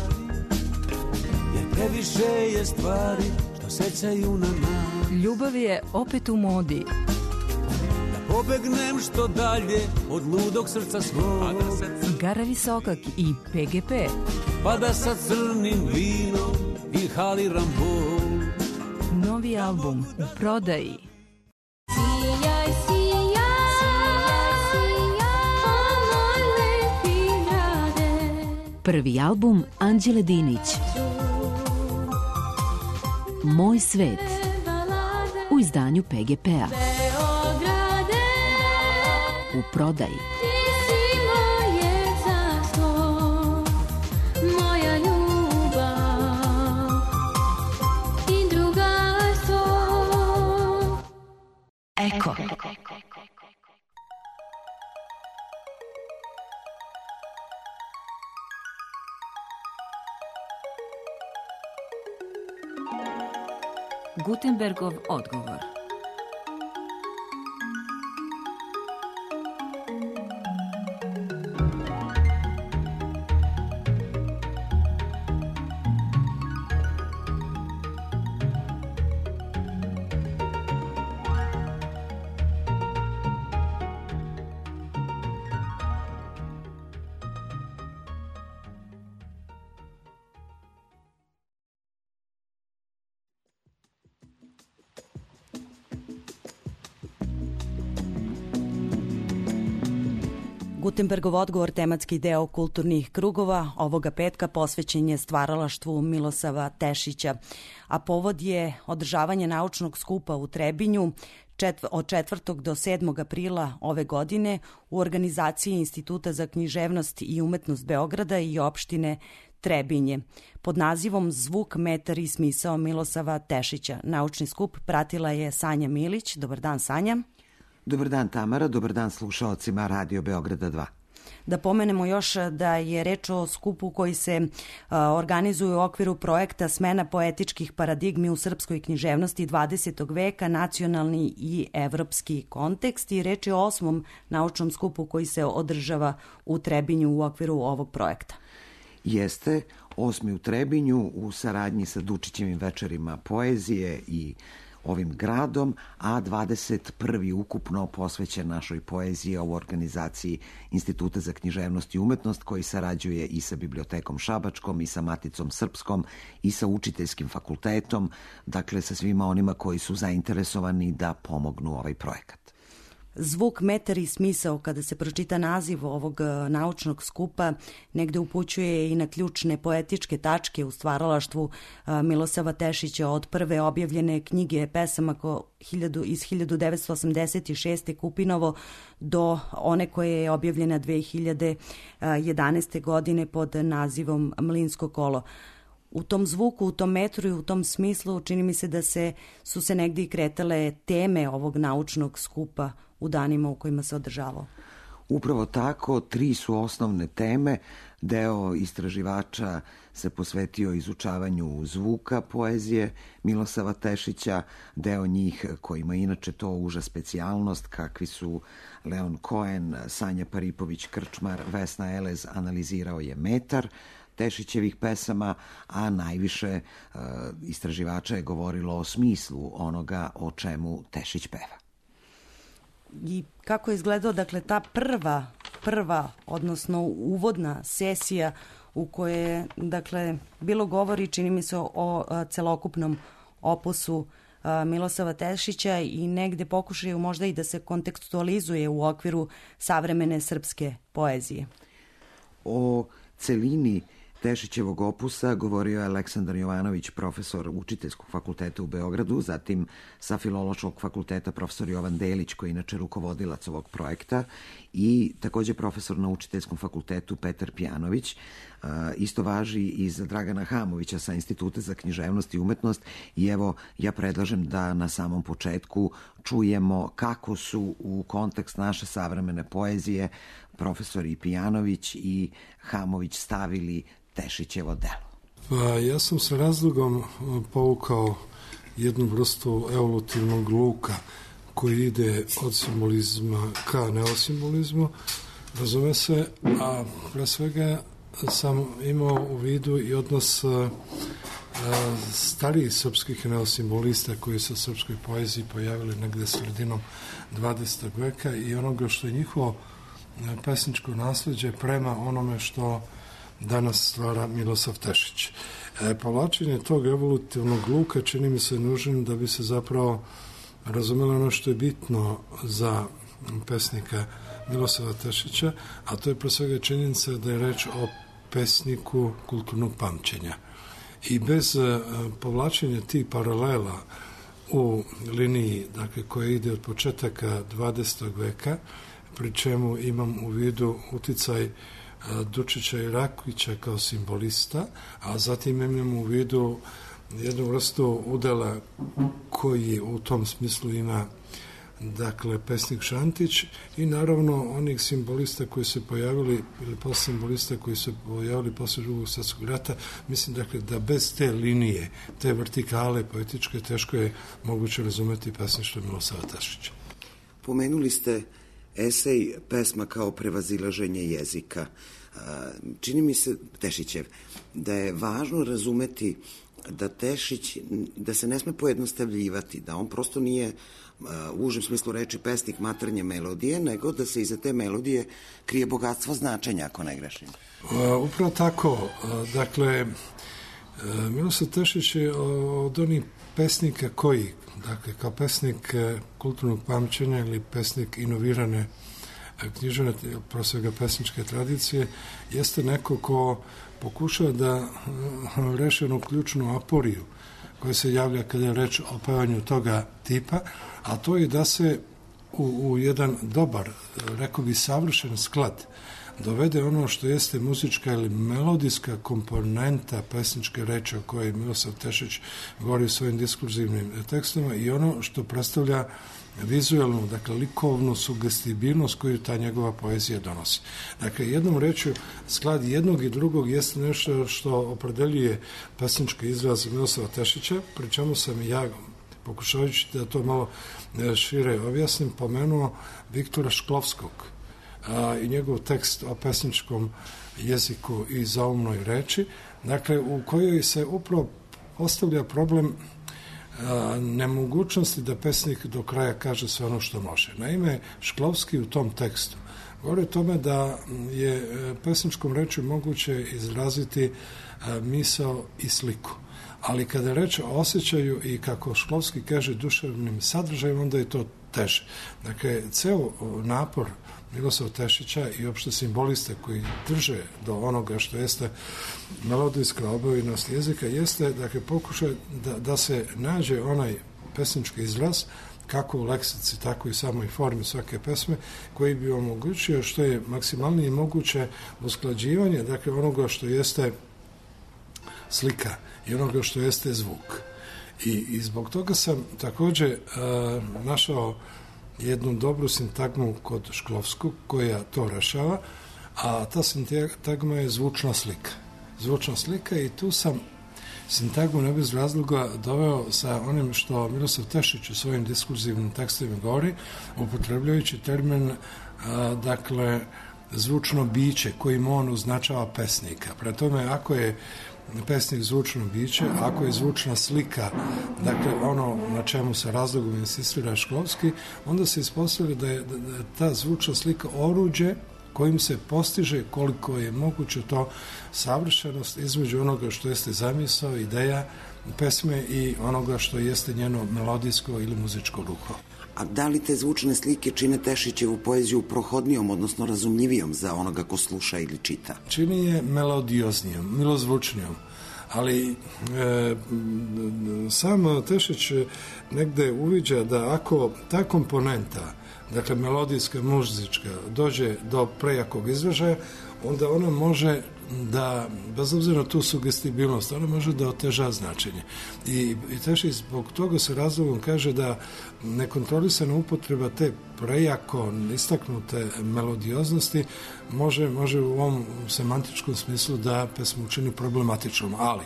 jer previše je stvari što sećaju na nas. Ljubav je opet u modi. Da pobegnem što dalje od ludog srca svog. Gara Visokak i pe ge pe. Pa da sa crnim vinom inhaliram bol. Novi album u prodaji. Sijaj, sijaj, sijaj, moj lepi grade. Prvi album Anđele Dinić. Moj svet. U izdanju pe ge pe-a. U prodaji. Eko. Gutenbergov odgovor. Gutenbergov odgovor, tematski deo kulturnih krugova, ovoga petka posvećen je stvaralaštvu Milosava Tešića, a povod je održavanje naučnog skupa u Trebinju četv od četvrtog do sedmog aprila ove godine u organizaciji Instituta za književnost i umetnost Beograda i opštine Trebinje pod nazivom Zvuk, metar i smisao Milosava Tešića. Naučni skup pratila je Sanja Milić. Dobar dan, Sanja. Dobar dan, Tamara, dobar dan slušaocima Radio Beograda dva. Da pomenemo još da je reč o skupu koji se uh, organizuje u okviru projekta Smena poetičkih paradigmi u srpskoj književnosti dvadesetog veka, nacionalni i evropski kontekst, i reč je o osmom naučnom skupu koji se održava u Trebinju u okviru ovog projekta. Jeste, osmi u Trebinju u saradnji sa Dučićevim večerima poezije i ovim gradom, a dvadeset prvi ukupno posvećen našoj poeziji u organizaciji Instituta za književnost i umetnost, koji sarađuje i sa Bibliotekom Šabačkom i sa Maticom Srpskom i sa Učiteljskim fakultetom, dakle sa svima onima koji su zainteresovani da pomognu ovaj projekat. Zvuk, metar i smisao, kada se pročita naziv ovog naučnog skupa, negde upućuje i na ključne poetičke tačke u stvaralaštvu Milosava Tešića, od prve objavljene knjige pesama iz hiljadu devetsto osamdeset šeste Kupinovo do one koje je objavljena dve hiljade jedanaeste godine pod nazivom Mlinsko kolo. U tom zvuku, u tom metru i u tom smislu čini mi se da se, su se negde i kretale teme ovog naučnog skupa u danima u kojima se održavao. Upravo tako, tri su osnovne teme. Deo istraživača se posvetio izučavanju zvuka poezije Milosava Tešića, deo njih kojima inače to uža specijalnost, kakvi su Leon Cohen, Sanja Paripović-Krčmar, Vesna Elez, analizirao je metar Tešićevih pesama, a najviše uh, istraživača je govorilo o smislu onoga o čemu Tešić peva. I kako je izgledao, dakle, ta prva, prva, odnosno uvodna sesija u koje je, dakle, bilo govori, čini mi se, o a, celokupnom opusu a, Milosava Tešića i negde pokušaju možda i da se kontekstualizuje u okviru savremene srpske poezije. O celini Tešićevog opusa govorio je Aleksandar Jovanović, profesor Učiteljskog fakulteta u Beogradu, zatim sa Filološkog fakulteta profesor Jovan Delić, koji je inače rukovodilac ovog projekta, i takođe profesor na Učiteljskom fakultetu Petar Pjanović. Isto važi i za Dragana Hamovića sa Instituta za književnost i umetnost. I evo, ja predlažem da na samom početku čujemo kako su u kontekst naše savremene poezije profesori Pjanović i Hamović stavili Tešićevo delo. Pa ja sam sa razlogom povukao jednu vrstu evolutivnog luka koji ide od simbolizma ka neosimbolizmu, razume se, a pre svega sam imao u vidu i odnos a, a, starijih srpskih neosimbolista koji su u srpskoj poeziji pojavili negde sredinom dvadesetog veka i onoga što je njihovo pesničko nasleđe prema onome što danas stvara Milosav Tešić. E, povlačenje tog evolutivnog luka čini mi se nužnim da bi se zapravo razumelo ono što je bitno za pesnika Milosava Tešića, a to je pre svega činjenica da je reč o pesniku kulturnog pamćenja. I bez e, povlačenja tih paralela u liniji, dakle, koja ide od početaka dvadesetog veka, pri čemu imam u vidu uticaj Dučića i Rakovića kao simbolista, a zatim imam u vidu jednu vrstu udela koji u tom smislu ima, dakle, pesnik Šantić i naravno onih simbolista koji se pojavili ili posle simbolista koji se pojavili posle Drugog svjetskog rata. Mislim, dakle, da bez te linije, te vertikale poetičke, teško je moguće razumeti pesništvo Milosava Tešića. Pomenuli ste esej Pesma kao prevazilaženje jezika. Čini mi se, Tešićev, da je važno razumeti da Tešić, da se ne sme pojednostavljivati, da on prosto nije u užem smislu reči pesnik maternje melodije, nego da se iza te melodije krije bogatstvo značenja, ako ne grešim. Upravo tako. Dakle, Milosav Tešić je od onih pesnika koji, dakle, kao pesnik kulturnog pamćenja ili pesnik inovirane književne, prosvega pesničke tradicije, jeste neko ko pokušava da reši onu ključnu aporiju koja se javlja kada je reč o pevanju toga tipa, a to je da se u, u jedan dobar, rekao bi savršen sklad dovede ono što jeste muzička ili melodijska komponenta pesničke reči o kojoj Milosav Tešić govori u svojim diskurzivnim tekstovima i ono što predstavlja vizualnu, dakle, likovnu sugestibilnost koju ta njegova poezija donosi. Dakle, jednom rečju, sklad jednog i drugog jeste nešto što opredeljuje pesnički izraz Milosava Tešića, pri čemu sam ja, pokušavajući da to malo šire objasnim, pomenuo Viktora Šklovskog a, i njegov tekst o pesničkom jeziku i zaumnoj reči, dakle, u kojoj se upravo postavlja problem nemogućnosti da pesnik do kraja kaže sve ono što može. Naime, Šklovski u tom tekstu govori o tome da je pesničkom rečju moguće izraziti misao i sliku. Ali kada je reč o osjećaju i, kako Šklovski kaže, duševnim sadržajem, onda je to teže. Dakle, ceo napor Milosava Tešića i opšte simboliste koji drže do onoga što jeste melodijska obavinost jezika jeste, dakle, pokušaj da, da se nađe onaj pesnički izraz, kako u leksici, tako i samoj formi svake pesme, koji bi omogućio što je maksimalnije moguće usklađivanje, dakle, onoga što jeste slika i onoga što jeste zvuk. I, i zbog toga sam takođe uh, našao jednu dobru sintagmu kod Šklovskog koja to rešava, a ta sintagma je zvučna slika. Zvučna slika i tu sam sintagmu ne bez razloga doveo sa onim što Milosav Tešić u svojim diskurzivnim tekstovima govori, upotrebljajući termin, a, dakle, zvučno biće kojim on označava pesnika. Pre tome, ako je pesnik zvučno biće, ako je zvučna slika, dakle, ono na čemu se razlogom insistira Šklovski, onda se ispostavlja da je, da je ta zvučna slika oruđe kojim se postiže koliko je moguće to savršenost između onoga što jeste zamisao, ideja pesme i onoga što jeste njeno melodijsko ili muzičko ruho. A da li te zvučne slike čine Tešićevu poeziju prohodnijom, odnosno razumljivijom za onoga ko sluša ili čita? Čini je melodioznijom, milozvučnijom. Ali e, sam Tešić negde uviđa da ako ta komponenta, dakle melodijska, muzička, dođe do prejakog izražaja, onda ona može da, bez obzira na tu sugestibilnost, ona može da oteža značenje. I, i Tešić zbog toga se razlogom kaže da nekontrolisana upotreba te prejako istaknute melodioznosti može, može u ovom semantičkom smislu da pesmu učini problematičnom, ali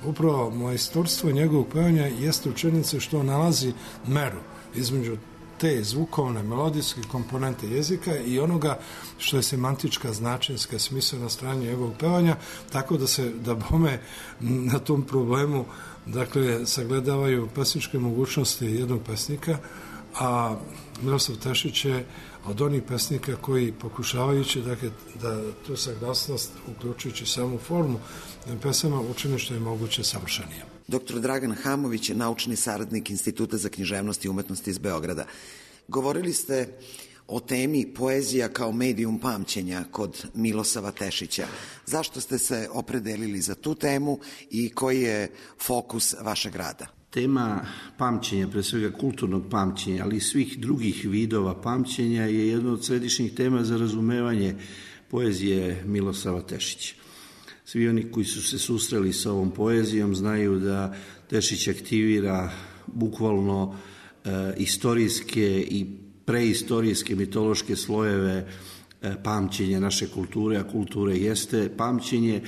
upravo majstorstvo njegovog pevanja jeste u činjenici što nalazi meru između te zvukovne, melodijske komponente jezika i onoga što je semantička, značenska, smislena strana njegovog pevanja, tako da se, da bome na tom problemu, dakle, sagledavaju pesničke mogućnosti jednog pesnika, a Miroslav Tešić je od onih pesnika koji pokušavajući, dakle, da tu saglasnost, uključujući samu formu pesama, učine što je moguće savršenije. Doktor Dragan Hamović je naučni saradnik Instituta za književnost i umetnosti iz Beograda. Govorili ste o temi poezija kao medijum pamćenja kod Milosava Tešića. Zašto ste se opredelili za tu temu i koji je fokus vašeg rada? Tema pamćenja, pre svega kulturnog pamćenja, ali i svih drugih vidova pamćenja je jedna od središnjih tema za razumevanje poezije Milosava Tešića. Svi oni koji su se susreli sa ovom poezijom znaju da Tešić aktivira bukvalno e, istorijske i preistorijske mitološke slojeve e, pamćenja naše kulture, a kulture jeste pamćenje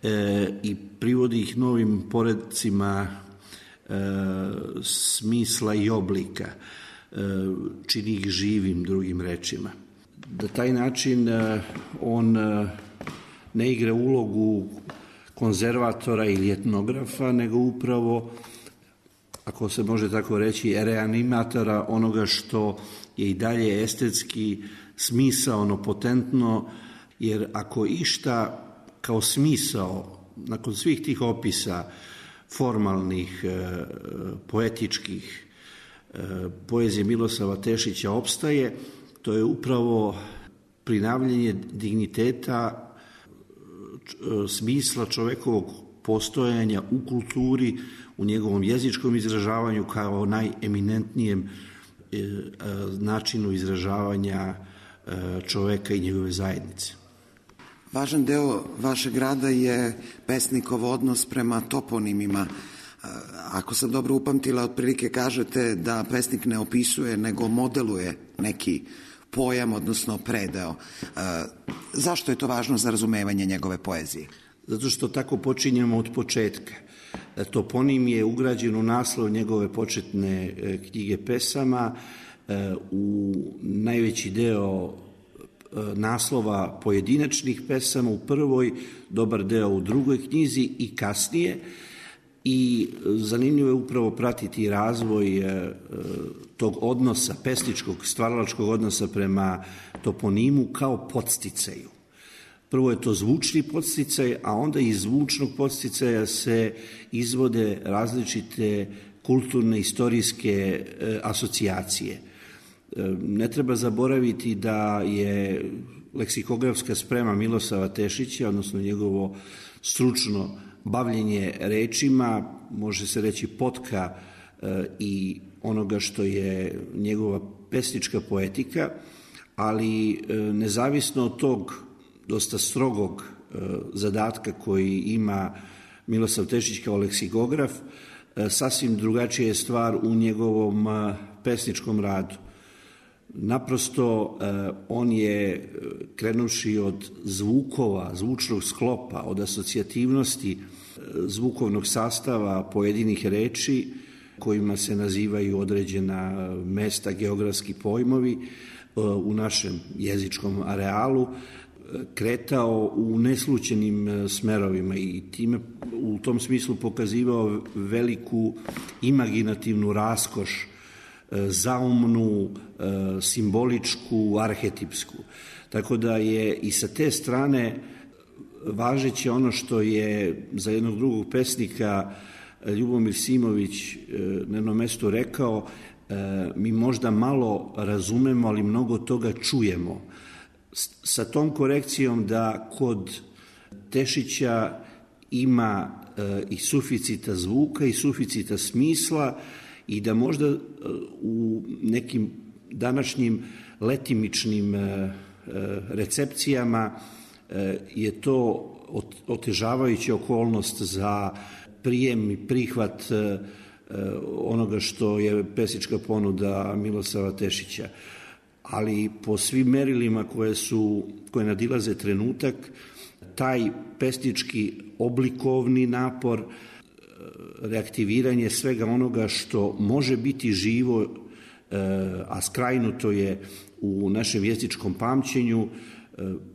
e, i privodi ih novim poredcima e, smisla i oblika, e, čini ih živim, drugim rečima. Da taj način e, on e, ne igra ulogu konzervatora ili etnografa, nego upravo, ako se može tako reći, reanimatora onoga što je i dalje estetski smisaono, potentno, jer ako išta kao smisao, nakon svih tih opisa formalnih, poetičkih, poezije Milosava Tešića opstaje, to je upravo prinavljanje digniteta, smisla čovekovog postojanja u kulturi, u njegovom jezičkom izražavanju kao najeminentnijem načinu izražavanja čoveka i njegove zajednice. Važan deo vašeg rada je pesnikov odnos prema toponimima. Ako sam dobro upamtila, otprilike kažete da pesnik ne opisuje, nego modeluje neki pojam, odnosno predeo. Zašto je to važno za razumevanje njegove poezije? Zato što tako počinjemo od početka. Toponim je ugrađen u naslov njegove početne knjige pesama, u najveći deo naslova pojedinačnih pesama u prvoj, dobar deo u drugoj knjizi i kasnije. I zanimljivo je upravo pratiti razvoj tog odnosa, pesničkog, stvaralačkog odnosa prema toponimu kao podsticaju. Prvo je to zvučni podsticaj, a onda iz zvučnog podsticaja se izvode različite kulturne, istorijske asocijacije. Ne treba zaboraviti da je leksikografska sprema Milosava Tešića, odnosno njegovo stručno bavljenje rečima, može se reći potka i onoga što je njegova pesnička poetika, ali nezavisno od tog dosta strogog zadatka koji ima Milosav Tešić kao leksikograf, sasvim drugačija je stvar u njegovom pesničkom radu. Naprosto on je, krenuši od zvukova, zvučnog sklopa, od asocijativnosti zvukovnog sastava pojedinih reči kojima se nazivaju određena mesta, geografski pojmovi u našem jezičkom arealu, kretao u neslućenim smerovima i time u tom smislu pokazivao veliku imaginativnu raskoš zaumnu, simboličku, arhetipsku. Tako da je i sa te strane važeće ono što je za jednog drugog pesnika Ljubomir Simović na jednom mestu rekao, mi možda malo razumemo, ali mnogo toga čujemo. Sa tom korekcijom da kod Tešića ima i suficita zvuka i suficita smisla i da možda u nekim današnjim letimičnim recepcijama je to otežavajuća okolnost za prijem i prihvat onoga što je pesnička ponuda Milosava Tešića. Ali po svim merilima koje su, koje nadilaze trenutak, taj pesnički oblikovni napor, reaktiviranje svega onoga što može biti živo, a skrajnuto je u našem jezičkom pamćenju,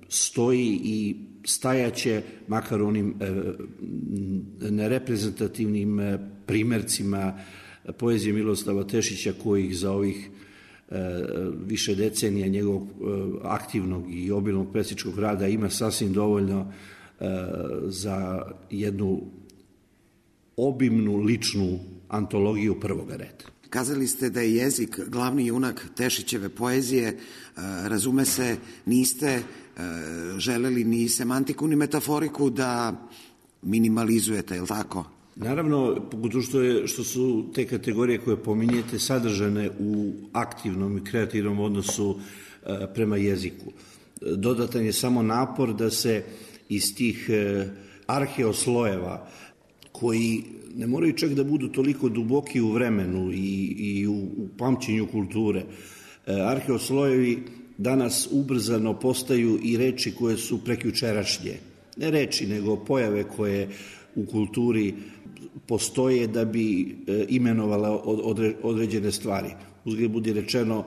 stoji i stajaće, makar onim nereprezentativnim primercima poezije Miroslava Tešića, kojih za ovih više decenija njegovog aktivnog i obilnog pesničkog rada ima sasvim dovoljno za jednu obimnu ličnu antologiju prvoga reda. Kazali ste da je jezik glavni junak Tešićeve poezije, razume se, niste želeli ni semantiku ni metaforiku da minimalizujete, je li tako? Naravno, pogotovo što, je, što su te kategorije koje pominjete sadržane u aktivnom i kreativnom odnosu prema jeziku. Dodatan je samo napor da se iz tih arheoslojeva, koji ne moraju čak da budu toliko duboki u vremenu i, i u, u pamćenju kulture, arheoslojevi danas ubrzano postaju i reči koje su prekjučerašnje. Ne reči, nego pojave koje u kulturi postoje da bi imenovala određene stvari. Uzgled budi rečeno,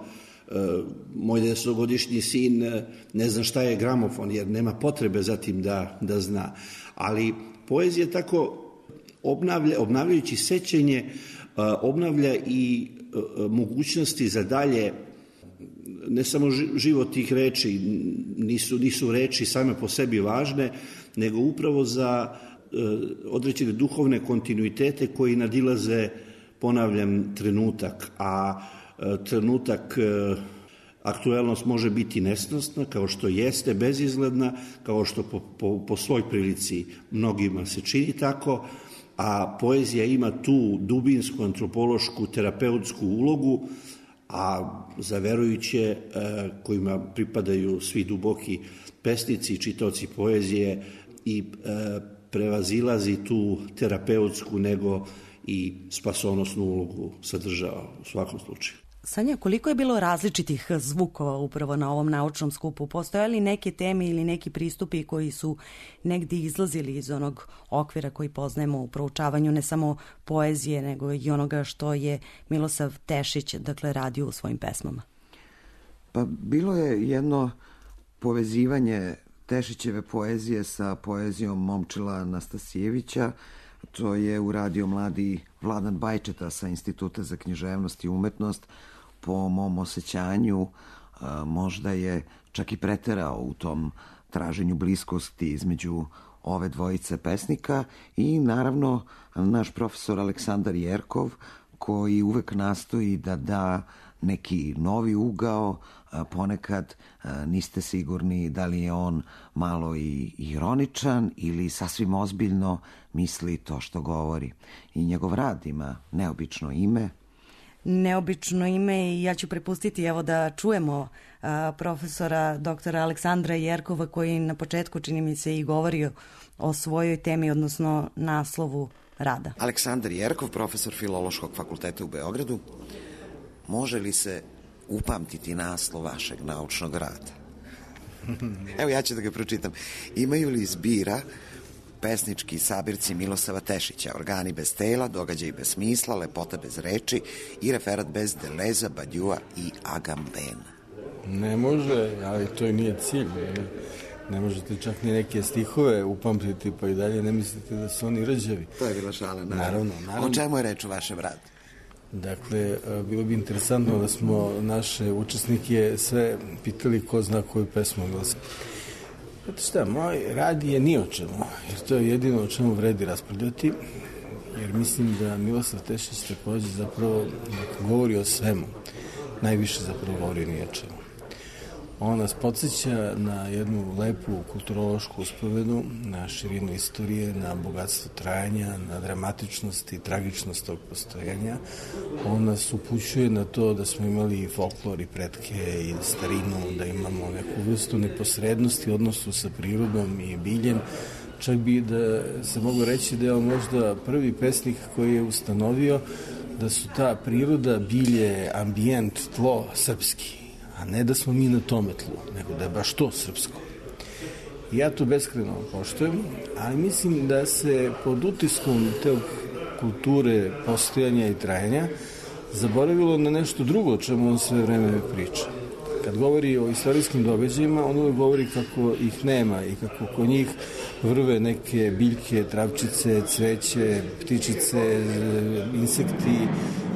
moj desetogodišnji sin ne zna šta je gramofon, jer nema potrebe za tim da, da zna. Ali poezija tako obnavlja, obnavljajući sećenje, obnavlja i mogućnosti za dalje, ne samo život tih reči, nisu, nisu reči same po sebi važne, nego upravo za određene duhovne kontinuitete koji nadilaze, ponavljam, trenutak, a trenutak aktuelnost može biti nesnosna, kao što jeste, bezizgledna, kao što po, po, po svoj prilici mnogima se čini tako, a poezija ima tu dubinsku, antropološku, terapeutsku ulogu, a za verujuće kojima pripadaju svi duboki pesnici i čitaoci poezije i prevazilazi tu terapeutsku nego i spasonosnu ulogu sadržava u svakom slučaju. Sanja, koliko je bilo različitih zvukova upravo na ovom naučnom skupu? Postoje li neke teme ili neki pristupi koji su negdje izlazili iz onog okvira koji poznajemo u proučavanju ne samo poezije, nego i onoga što je Milosav Tešić, dakle, radio u svojim pesmama? Pa bilo je jedno povezivanje Tešićeve poezije sa poezijom Momčila Anastasijevića. To je uradio mladi Vladan Bajčeta sa Instituta za književnost i umetnost. Po mom osjećanju možda je čak i preterao u tom traženju bliskosti između ove dvojice pesnika i naravno naš profesor Aleksandar Jerkov, koji uvek nastoji da da neki novi ugao, ponekad niste sigurni da li je on malo i ironičan ili sasvim ozbiljno misli to što govori. I njegov rad ima neobično ime. Neobično ime i ja ću prepustiti evo da čujemo a, profesora doktora Aleksandra Jerkova, koji na početku, čini mi se, i govorio o svojoj temi, odnosno naslovu rada. Aleksandar Jerkov, profesor Filološkog fakulteta u Beogradu. Može li se upamtiti naslov vašeg naučnog rada? Evo, ja ću da ga pročitam. Imaju li zbira pesnički sabirci Milosava Tešića, organi bez tela, događaj bez smisla, lepota bez reči i referat bez deleza, badjua i agambena? Ne može, ali to i nije cilj. Ne, ne možete čak ni neke stihove upamtiti, pa i dalje ne mislite da su oni rđavi. To je bila šala, naravno. naravno, naravno. O čemu je reč u vašem radu? Dakle, bilo bi interesantno da smo naše učesnike sve pitali ko zna koju pesmu Milosav. Znate šta, moj rad je ni o čemu, jer to je jedino o čemu vredi raspravljati, jer mislim da Milosav Tešić takođe zapravo govori o svemu, najviše zapravo govori ni o čemu. On nas podsjeća na jednu lepu kulturološku uspovedu, na širinu istorije, na bogatstvo trajanja, na dramatičnost i tragičnost tog postojanja. On nas upućuje na to da smo imali i folklor i pretke i starinu, da imamo neku vrstu neposrednosti u odnosu sa prirodom i biljem. Čak bi da se mogu reći da je on možda prvi pesnik koji je ustanovio da su ta priroda, bilje, ambijent, tlo srpski, a ne da smo mi na tome tlu, nego da je baš to srpsko. Ja to beskreno poštujem, ali mislim da se pod utiskom te kulture postojanja i trajanja zaboravilo na nešto drugo o čemu on sve vreme priča. Kad govori o istorijskim događajima, on uvijek govori kako ih nema i kako kod njih vrve neke biljke, travčice, cveće, ptičice, insekti,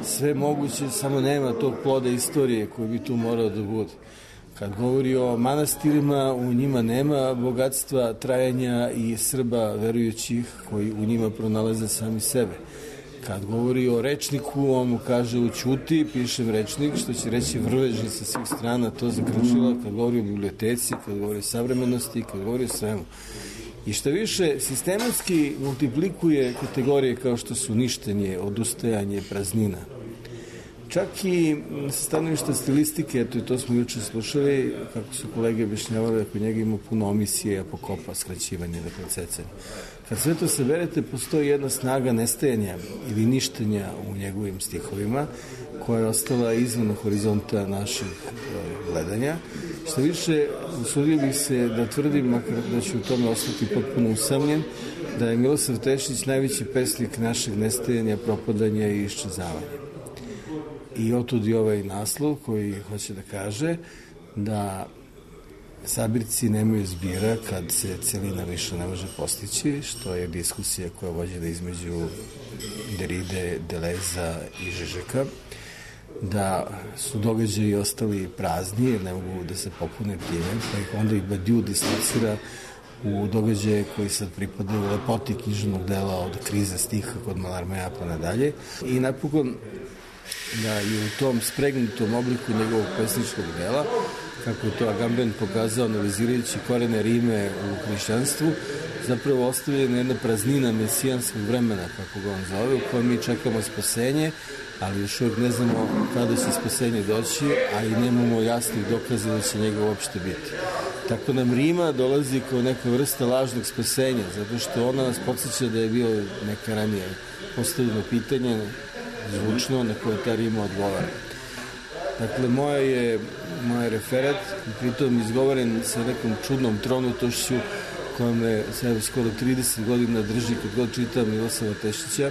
sve moguće, samo nema tog ploda istorije koji bi tu morao da bude. Kad govori o manastirima, u njima nema bogatstva trajanja i Srba verujućih koji u njima pronalaze sami sebe. Kad govori o rečniku, on mu kaže ućuti, pišem rečnik, što će reći vrveži sa svih strana, to zakrčila. Kad govori o biblioteci, kad govori o savremenosti, kad govori o svemu. I što više, sistematski multiplikuje kategorije kao što su ništenje, odustajanje, praznina. Čak i sa stanovišta stilistike, eto i to smo juče slušali, kako su kolege objašnjavali da kod njega ima puno omisije, apokopa, skraćivanje, dakle cecanje. Kad sve to saberete, postoji jedna snaga nestajanja ili ništenja u njegovim stihovima, koja je ostala izvan horizonta naših gledanja. Što više, usudio bih se da tvrdim, makar da ću u tome ostati potpuno usamljen, da je Milosav Tešić najveći pesnik našeg nestajanja, propadanja i iščezavanja. I otud i ovaj naslov koji hoće da kaže da sabirci nemaju zbira kad se celina više ne može postići, što je diskusija koja je vođena između Deride, Deleza i Žižeka, da su događaji ostali prazni jer ne mogu da se popune time, pa ih onda i Badiou dislocira u događaje koji sad pripadaju lepoti književnog dela od krize stiha kod Malarmeja pa nadalje. I napokon da je u tom spregnutom obliku njegovog pesničkog dela, kako je to Agamben pokazao analizirajući korene Rime u hrišćanstvu, zapravo ostavljena jedna praznina mesijanskog vremena, kako ga on zove, u kojem mi čekamo spasenje, ali još uvijek ne znamo kada će spasenje doći, a i nemamo jasnih dokaza da će njega uopšte biti. Tako nam Rima dolazi kao neka vrsta lažnog spasenja, zato što ona nas podsjeća da je bio neka ranije postavljeno pitanje, zvučno, na koje ta Rima odgovara. Dakle, moja je, moja je referat, pritom izgovoren sa nekom čudnom tronutošću koja me sve skoro trideset godina drži kad god čitam Milosava Tešića,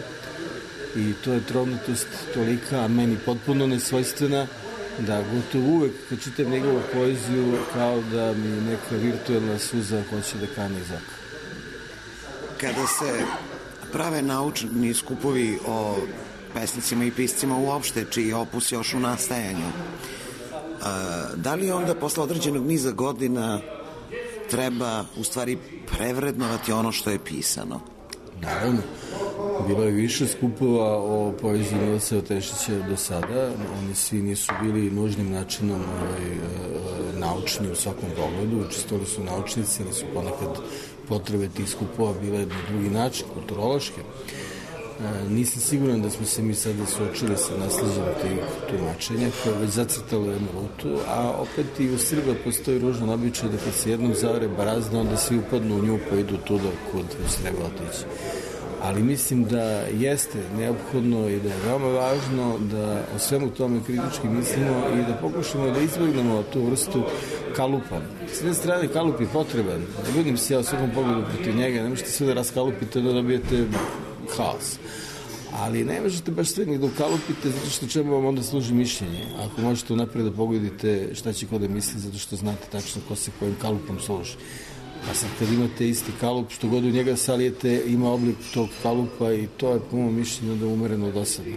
i to je tronutost tolika, a meni potpuno nesvojstvena, da gotovo uvek kad čitam njegovu poeziju kao da mi neka virtuelna suza hoće da kane iz oka. Kada se prave naučni skupovi o pesnicima i piscima uopšte, čiji opus još u nastajanju, da li onda posle određenog niza godina treba u stvari prevrednovati ono što je pisano? Naravno. Bilo je više skupova o poeziji Milosava Tešića do sada. Oni svi nisu bili nužnim načinom ovaj, naučni u svakom pogledu. Učestvovali su naučnici, ali su ponekad potrebe tih skupova bile na drugi način, kulturološke. Nisam siguran da smo se mi sada suočili sa nasleđem tih tumačenja koje je već zacrtalo jednu rutu, a opet i u Srba postoji ružan običaj da kad se jednom zavre barazna, onda svi upadnu u nju pa idu tuda kud već treba otići. Ali mislim da jeste neophodno i da je veoma važno da o svemu tome kritički mislimo i da pokušamo da izbjegnemo tu vrstu kalupa. S jedne strane kalup je potreban, ne budim se ja u svakom pogledu protiv njega, ne možete sve da raskalupite da dobijete haos. Ali ne možete baš sve ni da ukalupite zato što čemu vam onda služi mišljenje. Ako možete unapred da pogodite šta će ko da misli zato što znate tačno ko se kojim kalupom služi. A sad kad imate isti kalup, što god u njega salijete, ima oblik tog kalupa i to je po mojom mišljenju da umereno dosadno.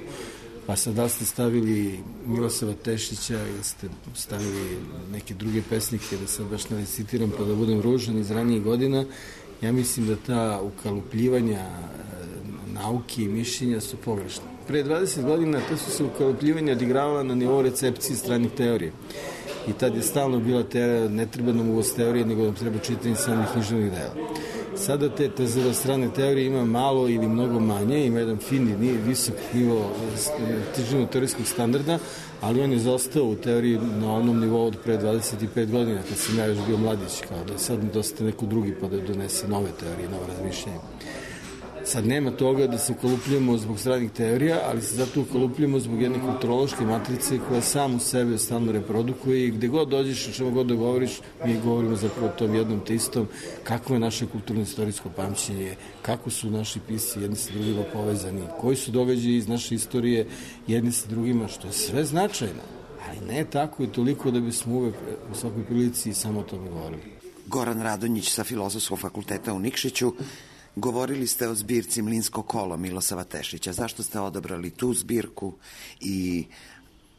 Pa sad da ste stavili Milosava Tešića ili ste stavili neke druge pesnike, da sad baš ne recitiram pa da budem ružan iz ranijih godina, ja mislim da ta ukalupljivanja nauke i mišljenja su pogrešna. Pre dvadeset godina to su se ukalupljivanja odigravala na nivou recepcije stranih teorije. I tad je stalno bila teorija, ne treba nam uvoz teorije, nego nam treba čitanje samih književnih dela. Sada te tezera strane teorije ima malo ili mnogo manje, ima jedan fini, visok nivo književno-teorijskog standarda, ali on je zostao u teoriji na onom nivou od pre dvadeset pet godina, kad sam ja još bio mladić, kao da je sad dosta neko drugi pa da donese nove teorije, nove razmišljenje. Sad nema toga da se ukalupljujemo zbog stranih teorija, ali se zato ukalupljujemo zbog jedne kulturološke matrice koja sam u sebe stalno reprodukuje i gde god dođeš, o čemu god da govoriš, mi govorimo zapravo o tom jednom te istom, kako je naše kulturno-istorijsko pamćenje, kako su naši pisci jedni sa drugima povezani, koji su događaji iz naše istorije jedni sa drugima, što je sve značajno, ali ne tako i toliko da bismo uvek u svakoj prilici samo o tome govorili. Goran Radonjić sa Filozofskog fakulteta u Nikšiću. Govorili ste o zbirci Mlinsko kolo Milosava Tešića. Zašto ste odabrali tu zbirku i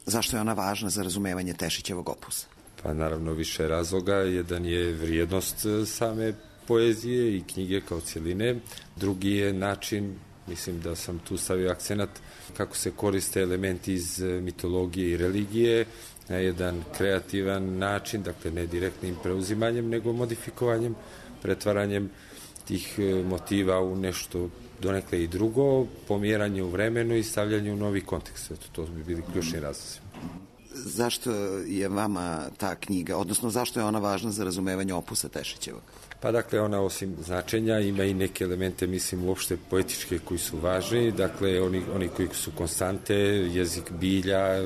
zašto je ona važna za razumevanje Tešićevog opusa? Pa naravno više razloga. Jedan je vrijednost same poezije i knjige kao cjeline. Drugi je način, mislim da sam tu stavio akcenat, kako se koriste elementi iz mitologije i religije na jedan kreativan način, dakle ne direktnim preuzimanjem, nego modifikovanjem, pretvaranjem tih motiva u nešto donekle i drugo, pomjeranje u vremenu i stavljanje u novi kontekst. Eto, to bi bili ključni razlozi. Zašto je vama ta knjiga, odnosno zašto je ona važna za razumevanje opusa Tešićevog? Pa dakle, ona osim značenja ima i neke elemente, mislim, uopšte poetičke koji su važni, dakle, oni, oni koji su konstante, jezik bilja,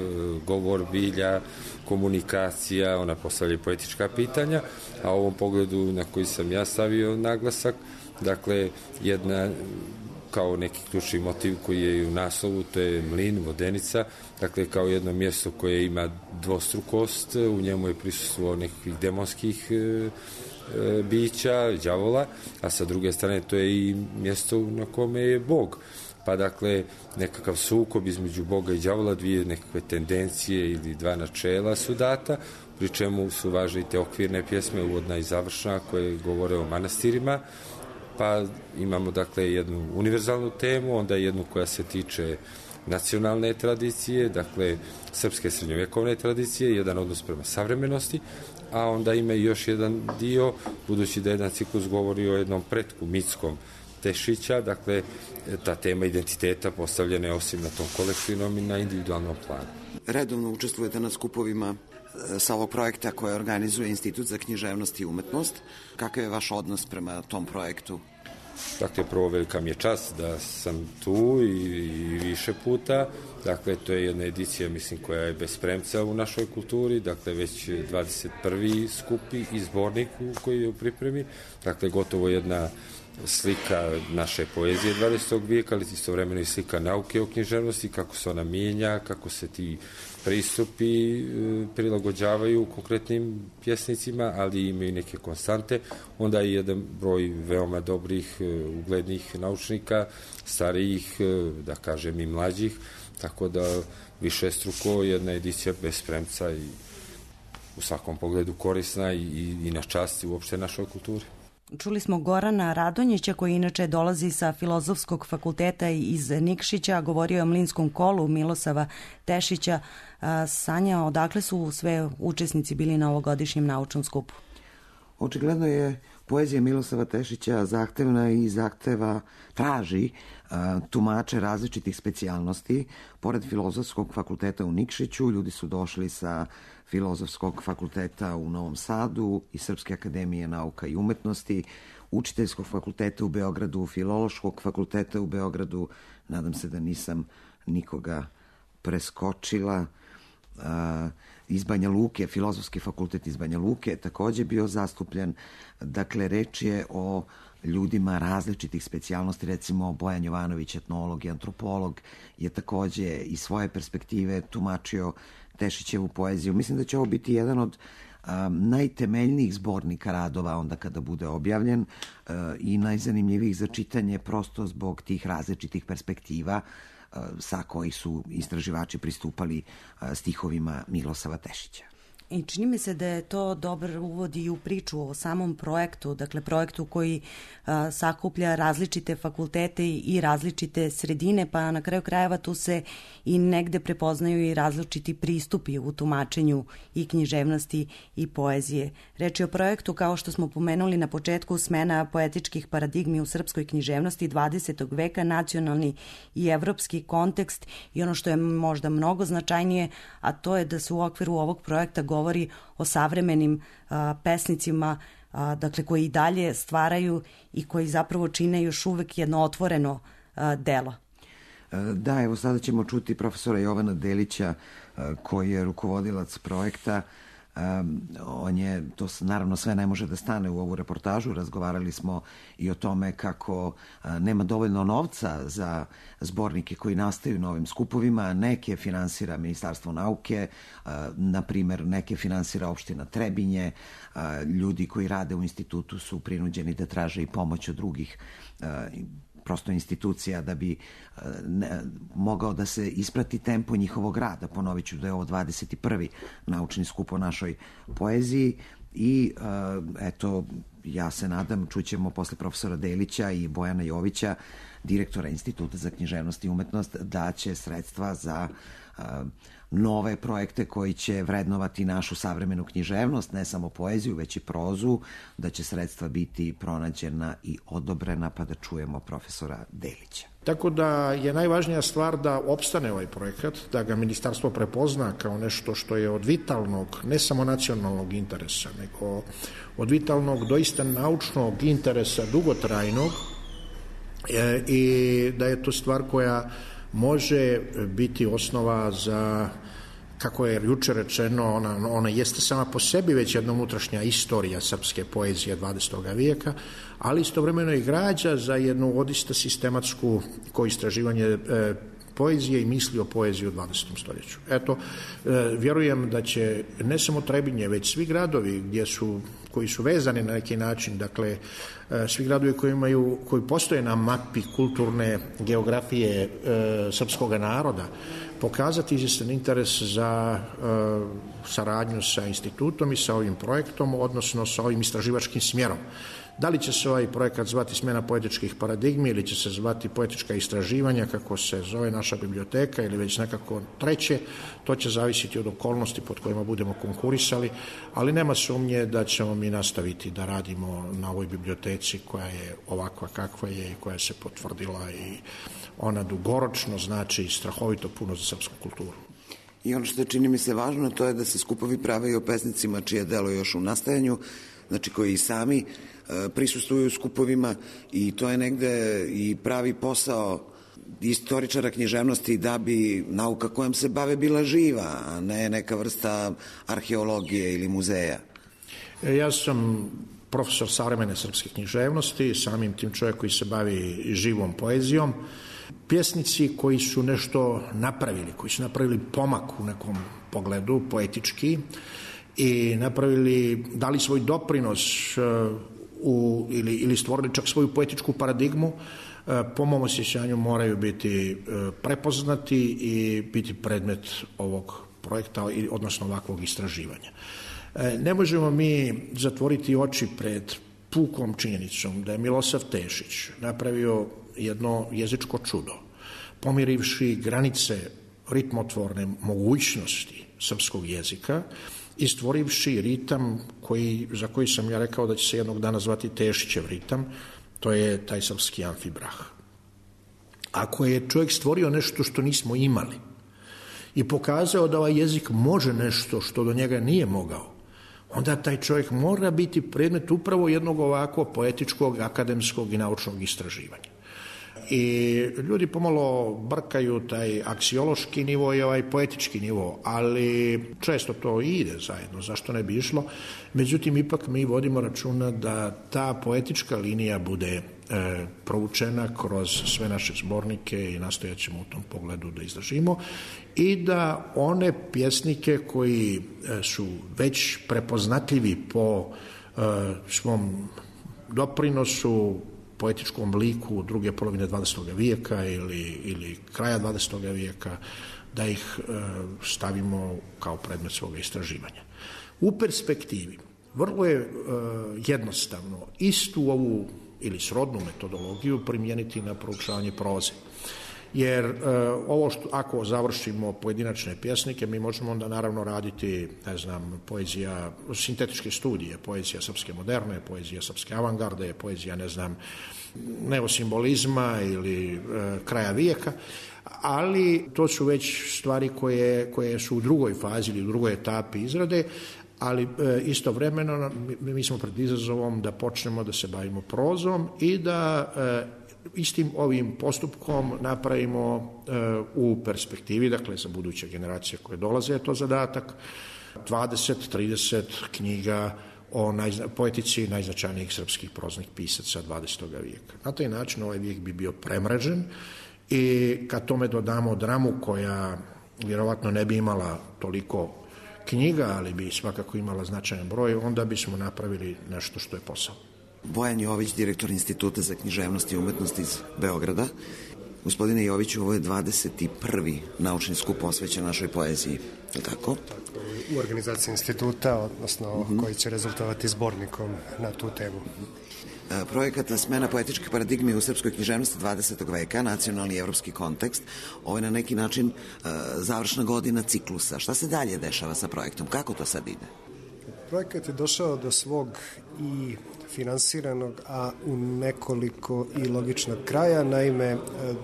govor bilja, komunikacija, ona postavlja poetička pitanja, a u ovom pogledu na koji sam ja stavio naglasak, dakle, jedna kao neki ključni motiv koji je u naslovu, to je mlin, vodenica, dakle kao jedno mjesto koje ima dvostrukost, u njemu je prisustvo nekakvih demonskih e, e, bića, đavola, a sa druge strane to je i mjesto na kome je Bog. Pa dakle, nekakav sukob između Boga i đavola, dvije nekakve tendencije ili dva načela su data, pri čemu su važne i te okvirne pjesme, uvodna i završna, koje govore o manastirima, pa imamo dakle jednu univerzalnu temu, onda jednu koja se tiče nacionalne tradicije, dakle srpske srednjovjekovne tradicije, jedan odnos prema savremenosti, a onda ima i još jedan dio, budući da jedan ciklus govori o jednom pretku mitskom Tešića, dakle ta tema identiteta postavljena je osim na tom kolektivnom i na individualnom planu. Redovno učestvujete na skupovima sa ovog projekta koje organizuje Institut za književnost i umetnost. Kakav je vaš odnos prema tom projektu? Dakle, prvo velika mi je čast da sam tu i, i više puta. Dakle, to je jedna edicija, mislim, koja je bez premca u našoj kulturi. Dakle, već dvadeset prvi skupi i zbornik koji je u pripremi. Dakle, gotovo jedna slika naše poezije dvadesetog vijeka, ali istovremeno i slika nauke o književnosti, kako se ona mijenja, kako se ti pristupi prilagođavaju konkretnim pjesnicima, ali imaju neke konstante. Onda je jedan broj veoma dobrih, uglednih naučnika, starijih, da kažem i mlađih, tako da višestruko jedna edicija bez premca i u svakom pogledu korisna i, i na časti uopšte našoj kulturi. Čuli smo Gorana Radonjića, koji inače dolazi sa Filozofskog fakulteta iz Nikšića, govorio je o Mlinskom kolu Milosava Tešića. Sanja, odakle su sve učesnici bili na ovogodišnjem naučnom skupu? Očigledno je poezija Milosava Tešića zahtevna i zahteva, traži a, tumače različitih specijalnosti. Pored Filozofskog fakulteta u Nikšiću, ljudi su došli sa Filozofskog fakulteta u Novom Sadu i Srpske akademije nauka i umetnosti, Učiteljskog fakulteta u Beogradu, Filološkog fakulteta u Beogradu, nadam se da nisam nikoga preskočila, a, iz Banja Luke, Filozofski fakultet iz Banja Luke je takođe bio zastupljen. Dakle, reč je o ljudima različitih specijalnosti, recimo Bojan Jovanović, etnolog i antropolog, je takođe iz svoje perspektive tumačio Tešićevu poeziju. Mislim da će ovo biti jedan od a, najtemeljnijih zbornika radova onda kada bude objavljen a, i najzanimljivijih za čitanje prosto zbog tih različitih perspektiva sa koji su istraživači pristupali stihovima Milosava Tešića. I čini mi se da je to dobar uvod i u priču o samom projektu, dakle projektu koji a, sakuplja različite fakultete i različite sredine, pa na kraju krajeva tu se i negde prepoznaju i različiti pristupi u tumačenju i književnosti i poezije. Reč je o projektu, kao što smo pomenuli na početku, smena poetičkih paradigmi u srpskoj književnosti dvadesetog veka, nacionalni i evropski kontekst i ono što je možda mnogo značajnije, a to je da se u okviru ovog projekta govori o savremenim a, pesnicima, a, dakle koji i dalje stvaraju i koji zapravo čine još uvek jedno otvoreno a, delo. Da, evo sada ćemo čuti profesora Jovana Delića a, koji je rukovodilac projekta. Um, on je, to naravno sve ne može da stane u ovu reportažu, razgovarali smo i o tome kako a, nema dovoljno novca za zbornike koji nastaju na ovim skupovima, neke finansira Ministarstvo nauke, a, na primer neke finansira opština Trebinje, a, ljudi koji rade u institutu su prinuđeni da traže i pomoć od drugih a, prosto institucija da bi ne, mogao da se isprati tempo njihovog rada. Ponovit ću da je ovo dvadeset prvi naučni skup o našoj poeziji i eto, ja se nadam, čućemo posle profesora Delića i Bojana Jovića, direktora Instituta za književnost i umetnost, da će sredstva za nove projekte koji će vrednovati našu savremenu književnost, ne samo poeziju, već i prozu, da će sredstva biti pronađena i odobrena, pa da čujemo profesora Delića. Tako da je najvažnija stvar da opstane ovaj projekat, da ga ministarstvo prepozna kao nešto što je od vitalnog, ne samo nacionalnog interesa, nego od vitalnog, doista naučnog interesa, dugotrajnog, e, i da je to stvar koja može biti osnova za, kako je juče rečeno, ona, ona jeste sama po sebi već jedna unutrašnja istorija srpske poezije dvadesetog vijeka, ali istovremeno i građa za jednu odista sistematsku ko istraživanje e, poezije i misli o poeziji u dvadesetom stoljeću. Eto, e, vjerujem da će ne samo Trebinje, već svi gradovi gdje su, koji su vezani na neki način, dakle, e, svi gradovi koji imaju, koji postoje na mapi kulturne geografije e, srpskog naroda, pokazati izvjestan interes za e, saradnju sa institutom i sa ovim projektom, odnosno sa ovim istraživačkim smjerom. Da li će se ovaj projekat zvati smjena poetičkih paradigmi ili će se zvati poetička istraživanja, kako se zove naša biblioteka, ili već nekako treće, to će zavisiti od okolnosti pod kojima budemo konkurisali, ali nema sumnje da ćemo mi nastaviti da radimo na ovoj biblioteci koja je ovakva kakva je i koja se potvrdila i ona dugoročno znači strahovito puno za srpsku kulturu. I ono što čini mi se važno, to je da se skupovi prave i o pesnicima čije delo još u nastajanju, znači koji i sami prisustvuju skupovima i to je negde i pravi posao istoričara književnosti da bi nauka kojom se bave bila živa, a ne neka vrsta arheologije ili muzeja. Ja sam profesor savremene srpske književnosti, samim tim čovjek koji se bavi živom poezijom. Pjesnici koji su nešto napravili, koji su napravili pomak u nekom pogledu poetički i napravili, dali svoj doprinos u, ili, ili stvorili čak svoju poetičku paradigmu, po mom osjećanju moraju biti prepoznati i biti predmet ovog projekta, odnosno ovakvog istraživanja. Ne možemo mi zatvoriti oči pred pukom činjenicom da je Milosav Tešić napravio jedno jezičko čudo, pomirivši granice ritmotvorne mogućnosti srpskog jezika i stvorivši ritam koji, za koji sam ja rekao da će se jednog dana zvati Tešićev ritam, to je taj srpski amfibrah. Ako je čovjek stvorio nešto što nismo imali i pokazao da ovaj jezik može nešto što do njega nije mogao, onda taj čovjek mora biti predmet upravo jednog ovako poetičkog, akademskog i naučnog istraživanja. I ljudi pomalo brkaju taj aksiološki nivo i ovaj poetički nivo, ali često to ide zajedno, zašto ne bi išlo. Međutim, ipak mi vodimo računa da ta poetička linija bude e, proučena kroz sve naše zbornike i nastojat ćemo u tom pogledu da izdržimo i da one pjesnike koji e, su već prepoznatljivi po e, svom doprinosu poetičkom liku druge polovine dvadesetog vijeka ili, ili kraja dvadesetog vijeka, da ih stavimo kao predmet svoga istraživanja. U perspektivi vrlo je jednostavno istu ovu ili srodnu metodologiju primijeniti na proučavanje proze. Jer e, ovo što, ako završimo pojedinačne pjesnike, mi možemo onda naravno raditi, ne znam, poezija, sintetičke studije, poezija srpske moderne, poezija srpske avangarde, poezija, ne znam, neosimbolizma ili e, kraja vijeka, ali to su već stvari koje, koje su u drugoj fazi ili u drugoj etapi izrade, ali e, istovremeno mi, mi smo pred izazovom da počnemo da se bavimo prozom i da e, istim ovim postupkom napravimo e, u perspektivi, dakle za buduće generacije koje dolaze je to zadatak, dvadeset trideset knjiga o najzna, poetici najznačajnijih srpskih proznih pisaca dvadesetog vijeka. Na taj način ovaj vijek bi bio premrežen i kad tome dodamo dramu koja vjerovatno ne bi imala toliko knjiga, ali bi svakako imala značajan broj, onda bismo napravili nešto što je posao. Bojan Jović, direktor Instituta za književnost i umetnost iz Beograda. Gospodine Joviću, ovo je dvadeset prvi naučni skup posvećen našoj poeziji, je tako? U organizaciji instituta, odnosno uh-huh. koji će rezultovati zbornikom na tu temu. Projekat Smena poetičke paradigme u srpskoj književnosti dvadesetog veka, nacionalni i evropski kontekst, ovo je na neki način uh, završna godina ciklusa. Šta se dalje dešava sa projektom? Kako to sad ide? Projekat je došao do svog i finansiranog, a u nekoliko i logičnog kraja. Naime,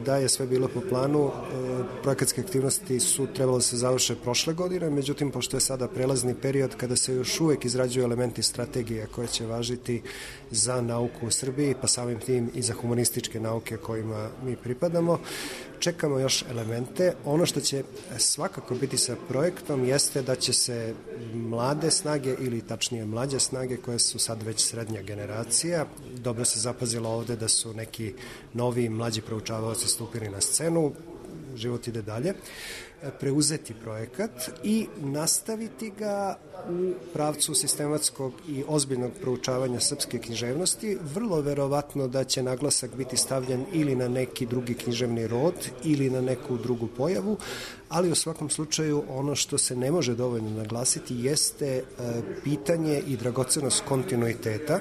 da je sve bilo po planu, projekatske aktivnosti su trebalo se završe prošle godine, međutim, pošto je sada prelazni period kada se još uvek izrađuju elementi strategije koje će važiti za nauku u Srbiji, pa samim tim i za humanističke nauke kojima mi pripadamo, čekamo još elemente. Ono što će svakako biti sa projektom jeste da će se mlade snage ili tačnije mlađe snage koje su sad već srednja generacija, dobro se zapazilo ovde da su neki novi mlađi proučavaoci stupili na scenu, život ide dalje, preuzeti projekat i nastaviti ga u pravcu sistematskog i ozbiljnog proučavanja srpske književnosti. Vrlo verovatno da će naglasak biti stavljen ili na neki drugi književni rod ili na neku drugu pojavu, ali u svakom slučaju ono što se ne može dovoljno naglasiti jeste pitanje i dragocenost kontinuiteta,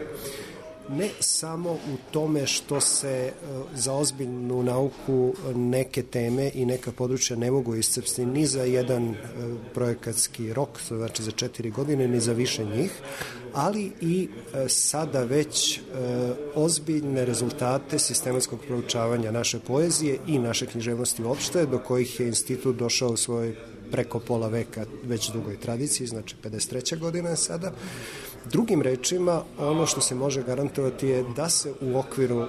ne samo u tome što se za ozbiljnu nauku neke teme i neka područja ne mogu iscrpsti ni za jedan projekatski rok, znači za četiri godine, ni za više njih, ali i sada već ozbiljne rezultate sistematskog proučavanja naše poezije i naše književnosti uopšte, do kojih je institut došao u svojoj preko pola veka već dugoj tradiciji, znači pedeset treća godina je sada. Drugim rečima, ono što se može garantovati je da se u okviru e,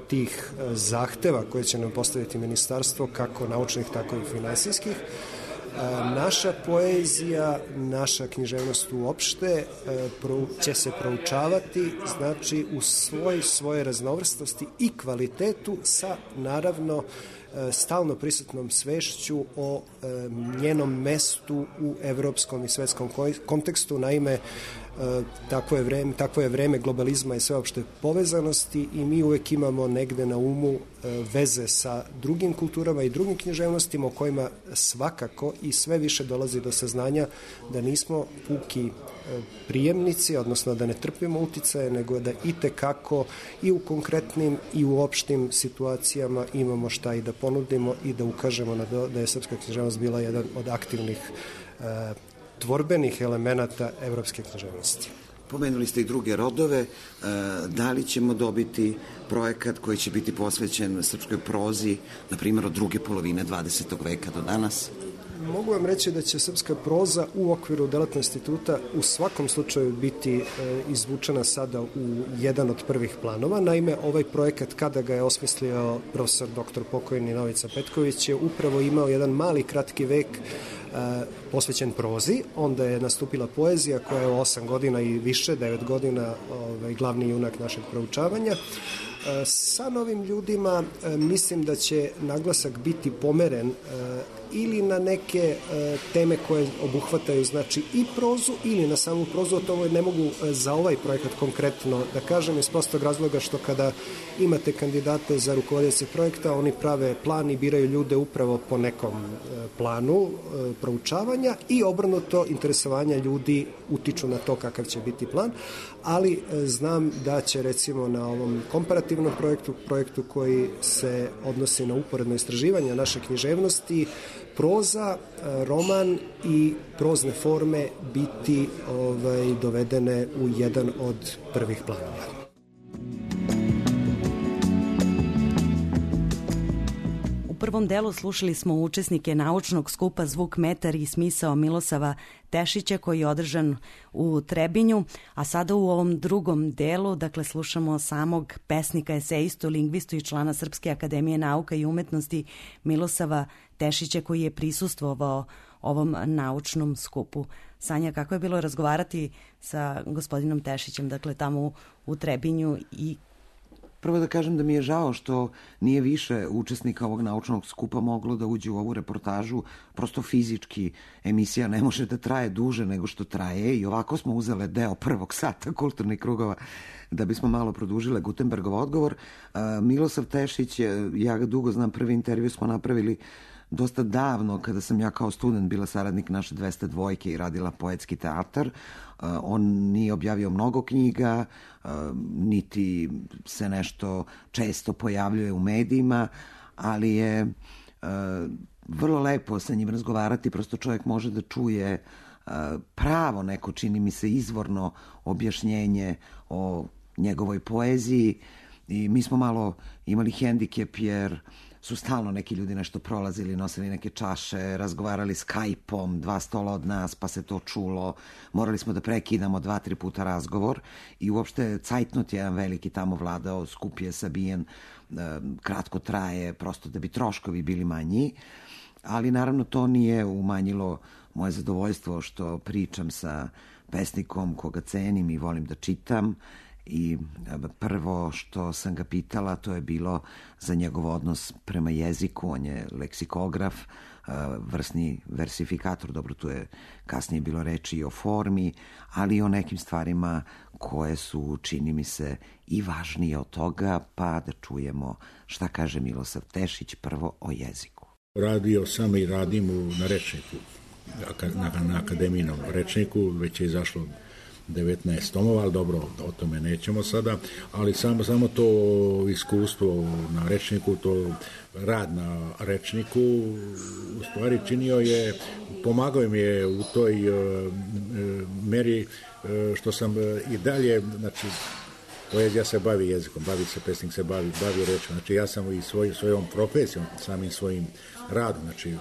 tih zahteva koje će nam postaviti ministarstvo, kako naučnih, tako i finansijskih, e, naša poezija, naša književnost uopšte e, pro, će se proučavati, znači u svoj, svoje raznovrstosti i kvalitetu sa, naravno, stalno prisutnom svešću o e, njenom mestu u evropskom i svetskom kontekstu. Naime, e, takvo je vreme, takvo je vreme globalizma i sveopšte povezanosti i mi uvek imamo negde na umu e, veze sa drugim kulturama i drugim književnostima o kojima svakako i sve više dolazi do saznanja da nismo puki prijemnici, odnosno da ne trpimo uticaje, nego da itekako i u konkretnim i u opštim situacijama imamo šta i da ponudimo i da ukažemo na to da je srpska književnost bila jedan od aktivnih e, tvorbenih elemenata evropske književnosti. Pomenuli ste i druge rodove, da li ćemo dobiti projekat koji će biti posvećen srpskoj prozi, na primjer od druge polovine dvadesetog veka do danas? Mogu vam reći da će srpska proza u okviru delatnog instituta u svakom slučaju biti e, izvučena sada u jedan od prvih planova. Naime, ovaj projekat, kada ga je osmislio profesor doktor pokojni Novica Petković, je upravo imao jedan mali kratki vek e, posvećen prozi. Onda je nastupila poezija koja je osam godina i više, devet godina ovaj, glavni junak našeg proučavanja. Sa novim ljudima mislim da će naglasak biti pomeren ili na neke e, teme koje obuhvataju znači i prozu ili na samu prozu. To ne mogu za ovaj projekat konkretno da kažem iz prostog razloga što kada imate kandidate za rukovodioce projekta, oni prave plan i biraju ljude upravo po nekom e, planu e, proučavanja i obrnuto interesovanja ljudi utiču na to kakav će biti plan, ali e, znam da će recimo na ovom komparativnom projektu, projektu koji se odnosi na uporedno istraživanje naše književnosti, proza, roman i prozne forme biti ovaj, dovedene u jedan od prvih planova. U prvom delu slušali smo učesnike naučnog skupa Zvuk metar i smisao Milosava Tešića koji je održan u Trebinju, a sada u ovom drugom delu, dakle, slušamo samog pesnika, esejistu, lingvistu i člana Srpske akademije nauka i umetnosti Milosava Tešića koji je prisustvovao ovom naučnom skupu. Sanja, kako je bilo razgovarati sa gospodinom Tešićem, dakle, tamo u, u Trebinju i Prvo da kažem da mi je žao što nije više učesnika ovog naučnog skupa moglo da uđe u ovu reportažu. Prosto fizički emisija ne može da traje duže nego što traje i ovako smo uzele deo prvog sata kulturnih krugova da bismo malo produžile Gutenbergov odgovor. Milosav Tešić, ja ga dugo znam, prvi intervju smo napravili dosta davno, kada sam ja kao student bila saradnik naše dvesta dvojke i radila poetski teatar. On nije objavio mnogo knjiga, niti se nešto često pojavljuje u medijima, ali je vrlo lepo sa njim razgovarati, prosto čovjek može da čuje pravo neko, čini mi se, izvorno objašnjenje o njegovoj poeziji i mi smo malo imali hendikep jer su stalno neki ljudi nešto prolazili, nosili neke čaše, razgovarali Skype-om, dva stola od nas, pa se to čulo. Morali smo da prekidamo dva, tri puta razgovor i uopšte cajtnot je jedan veliki tamo vladao, skup je sabijen, kratko traje, prosto da bi troškovi bili manji. Ali naravno to nije umanjilo moje zadovoljstvo što pričam sa pesnikom koga cenim i volim da čitam. I prvo što sam ga pitala to je bilo za njegov odnos prema jeziku. On je leksikograf, vrsni versifikator, dobro, tu je kasnije bilo reči i o formi, ali i o nekim stvarima koje su, čini mi se, i važnije od toga, pa da čujemo šta kaže Milosav Tešić prvo o jeziku. Radio sam i radim na rečniku, na, na akademijinom rečniku, već je izašlo devetnaest tomova, ali dobro, o tome nećemo sada, ali samo, samo to iskustvo na rečniku, to rad na rečniku u stvari činio je, pomagao mi je u toj uh, meri uh, što sam uh, i dalje, znači, poezija se bavi jezikom, bavi se pesnik, se bavi, bavi rečom, znači ja sam i svoj, svojom profesijom, samim svojim radom, znači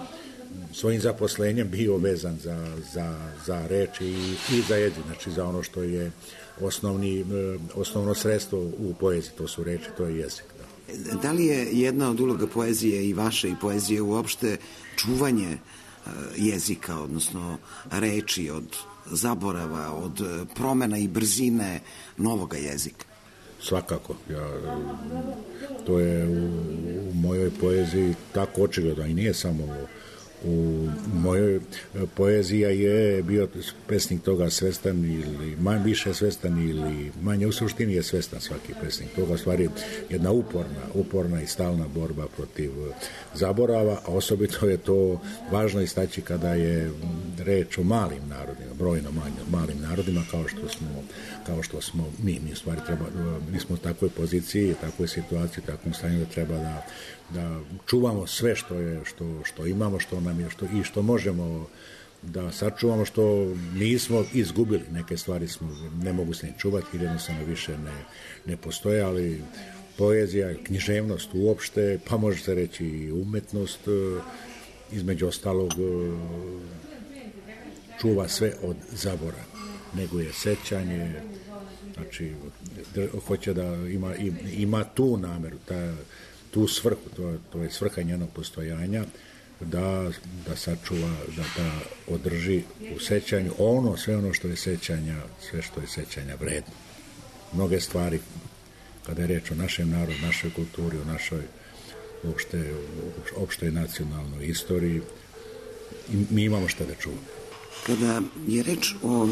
svojim zaposlenjem bio vezan za, za, za reč i, i za jezik, znači za ono što je osnovni, osnovno sredstvo u poeziji, to su reči, to je jezik. Da. Da li je jedna od uloga poezije i vaše i poezije uopšte čuvanje jezika, odnosno reči od zaborava, od promena i brzine novoga jezika? Svakako. Ja, to je u, u mojoj poeziji tako očigledno i nije samo u mojoj poezija je bio pesnik toga svestan ili manje više svestan ili manje, u suštini je svestan svaki pesnik toga, stvari jedna uporna, uporna i stalna borba protiv zaborava, a osobito je to važno istaći kada je reč o malim narodima, brojno malim narodima kao što smo, kao što smo mi, mi stvari treba, mi smo u takvoj poziciji, takvoj situaciji, takvom stanju da treba da da čuvamo sve što je što što imamo, što nam je što i što možemo da sačuvamo, što nismo izgubili. Neke stvari smo ne mogu se ni čuvati jer jednostavno više ne, ne postoje, ali poezija, književnost uopšte, pa može se reći i umetnost, između ostalog čuva sve od zabora, nego je sećanje, znači hoće da ima, ima tu nameru, ta tu svrhu, to, to je svrha njenog postojanja, da, da sačuva, da, da održi u sećanju ono, sve ono što je sećanja, sve što je sećanja vredno. Mnoge stvari, kada je reč o našem narodu, našoj kulturi, o našoj uopšte, opštoj nacionalnoj istoriji, i mi imamo šta da čuvamo. Kada je reč o e,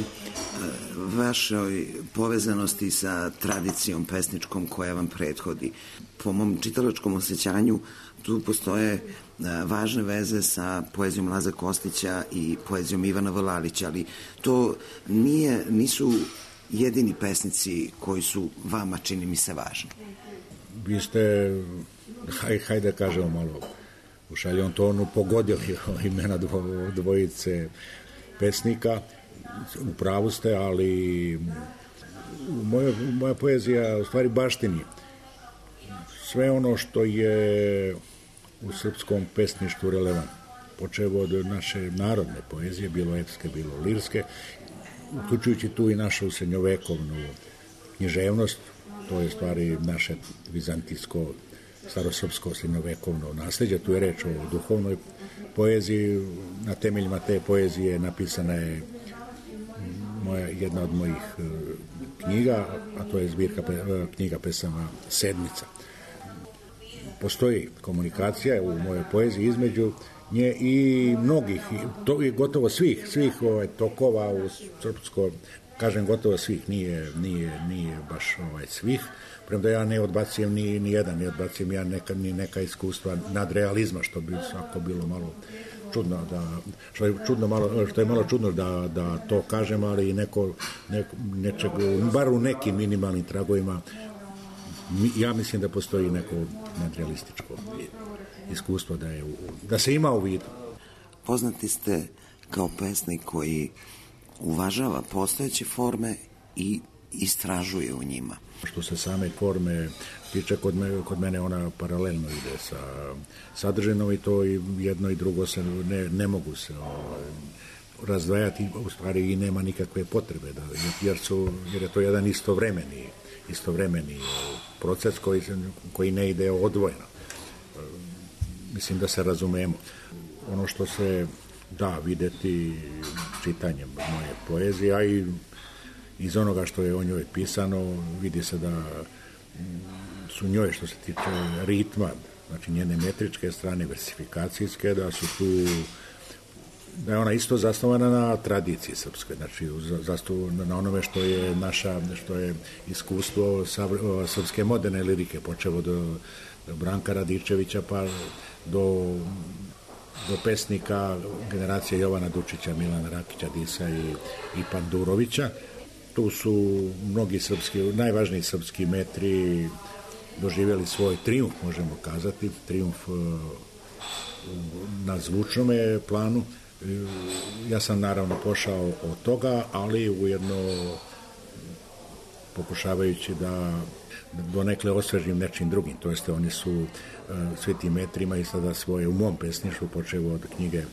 vašoj povezanosti sa tradicijom pesničkom koja vam prethodi, po mom čitalačkom osjećanju tu postoje e, važne veze sa poezijom Laze Kostića i poezijom Ivana Vlalića, ali to nije, nisu jedini pesnici koji su vama, čini mi se, važni. Vi ste, haj, hajde da kažemo malo u šaljom tonu, pogodili imena dvo, dvojice pesnika, u pravu ste, ali moja, moja poezija u stvari baštini sve ono što je u srpskom pesništvu relevantno, počevo od naše narodne poezije, bilo epske, bilo lirske, uključujući tu i našu srednjovekovnu književnost, to je stvari naše vizantijsko, starosrpsko srednjovekovno nasleđe, tu je reč o duhovnoj poeziji, na temeljima te poezije napisana je moja, jedna od mojih knjiga, a to je zbirka knjiga pesama Sedmica. Postoji komunikacija u mojoj poeziji između nje i mnogih, to je gotovo svih, svih ovaj, tokova u srpsko, kažem gotovo svih, nije, nije, nije baš ovaj, svih, premda ja ne odbacijem ni, ni jedan, ne odbacijem ja neka, ni neka iskustva nadrealizma, što bi svako bilo malo čudno, da, što, je čudno malo, što je malo čudno da, da to kažem, ali neko, neko nečeg, bar u nekim minimalnim tragovima, ja mislim da postoji neko nadrealističko iskustvo da, je, da se ima u vidu. Poznati ste kao pesnik koji uvažava postojeće forme i istražuje u njima. Što se same forme tiče, kod, me, kod mene ona paralelno ide sa sadržinom i to i jedno i drugo se ne, ne mogu se o, razdvajati, u stvari i nema nikakve potrebe, da, jer, su, jer je to jedan istovremeni, istovremeni proces koji, koji ne ide odvojeno. Mislim da se razumemo. Ono što se da videti čitanjem moje poezije, a i iz onoga što je o njoj pisano, vidi se da su njoj, što se tiče ritma, znači njene metričke strane, versifikacijske, da su tu, da je ona isto zasnovana na tradiciji srpske, znači zasnovana na onome što je naša, što je iskustvo srpske moderne lirike, počevo do, do Branka Radičevića pa do, do pesnika generacije Jovana Dučića, Milana Rakića, Disa i, i Pandurovića. Tu su mnogi srpski, najvažniji srpski metri doživjeli svoj trijumf, možemo kazati, trijumf na zvučnome planu. Ja sam naravno pošao od toga, ali ujedno pokušavajući da donekle osvežim nečim drugim, to jeste oni su svi ti metrima i sada svoje u mom pesništvu, počevo od knjige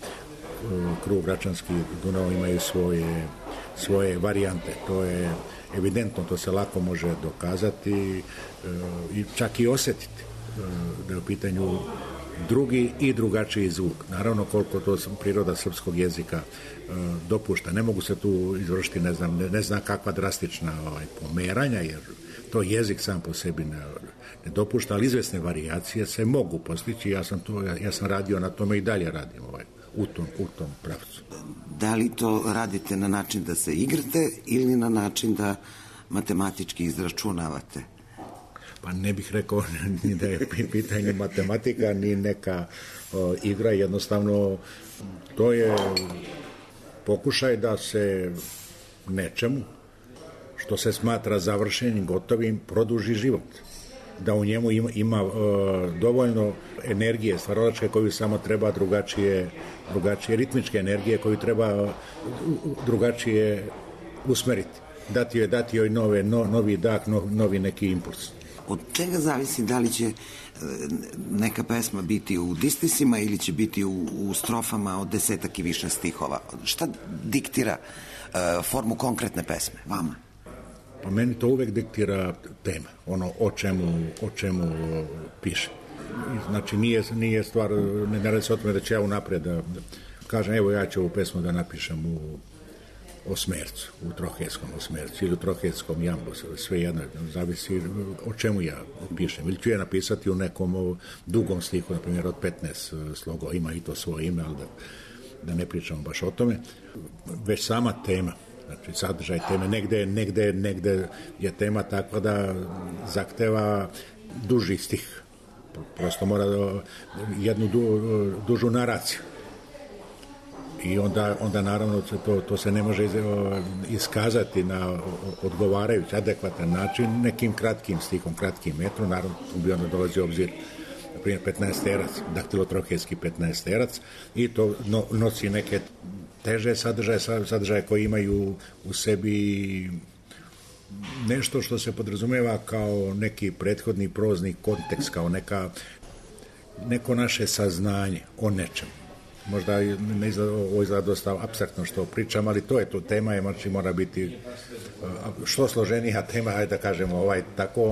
Krug Račanski Dunav, imaju svoje, svoje varijante. To je evidentno, to se lako može dokazati i čak i osjetiti da je u pitanju drugi i drugačiji zvuk. Naravno koliko to priroda srpskog jezika dopušta. Ne mogu se tu izvršiti ne znam, ne, ne znam kakva drastična ovaj, pomeranja, jer to jezik sam po sebi ne, ne dopušta, ali izvesne varijacije se mogu postići. Ja sam, to, ja, ja sam radio na tome i dalje radim ovaj, u, tom, u tom pravcu. Da li to radite na način da se igrate ili na način da matematički izračunavate? Pa ne bih rekao ni da je pitanje matematika, ni neka o, igra, jednostavno to je pokušaj da se nečemu što se smatra završenim, gotovim, produži život. Da u njemu ima, ima uh, dovoljno energije stvaralačke koju samo treba drugačije, drugačije ritmičke energije koju treba uh, drugačije usmeriti. Dati joj, dati joj nove, no, novi dah, no, novi neki impuls. Od čega zavisi da li će neka pesma biti u distisima ili će biti u, u strofama od desetak i više stihova? Šta diktira uh, formu konkretne pesme vama? Pa meni to uvek diktira tema, ono o čemu, o čemu piše. Znači nije, nije stvar, ne, ne radi se o tome da će ja unaprijed da, da kažem, evo ja ću ovu pesmu da napišem u osmercu, u trohetskom osmercu ili u trohetskom jambu, sve jedno, zavisi o čemu ja pišem. Ili ću je napisati u nekom dugom stihu, na primjer od petnaest slogova, ima i to svoje ime, ali da, da ne pričamo baš o tome, već sama tema, znači sadržaj teme, negde, negde, negde je tema takva da zahteva duži stih, prosto mora jednu du, dužu naraciju. I onda, onda naravno to, to se ne može iskazati na odgovarajući, adekvatan način nekim kratkim stihom, kratkim metrom, naravno bi onda dolazi u obzir na primjer petnaesterac, daktilotrohejski petnaesterac i to no, nosi neke teže sadržaje, sadržaje koji imaju u sebi nešto što se podrazumeva kao neki prethodni prozni kontekst, kao neka, neko naše saznanje o nečemu. Možda ne izgleda, ovo izgleda dosta apstraktno što pričam, ali to je to tema, je, znači mora biti što složenija tema, ajde da kažemo, ovaj, tako,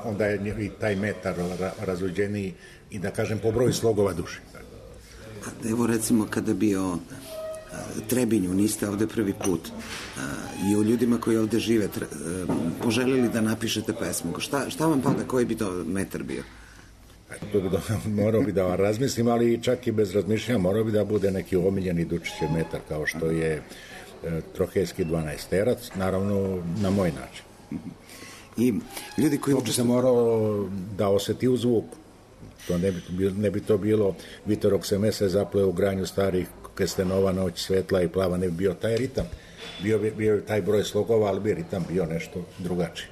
onda je i taj metar razuđeniji i da kažem po broju slogova duši. Evo recimo kada bi o Trebinju, niste ovde prvi put, i o ljudima koji ovde žive, poželjeli da napišete pesmu, šta, šta vam pada, koji bi to metar bio? To bi da, morao bi da razmislim, ali čak i bez razmišljanja morao bi da bude neki omiljeni Dučićev metar, kao što je e, trohejski dvanaesterac, naravno na moj način. I ljudi koji... To bi se morao da oseti u zvuku. To ne bi, ne bi to bilo Vitorok se mese zapleo u granju starih kestenova, noć svetla i plava, ne bi bio taj ritam. Bio bi bio taj broj slogova, ali bi ritam bio nešto drugačiji.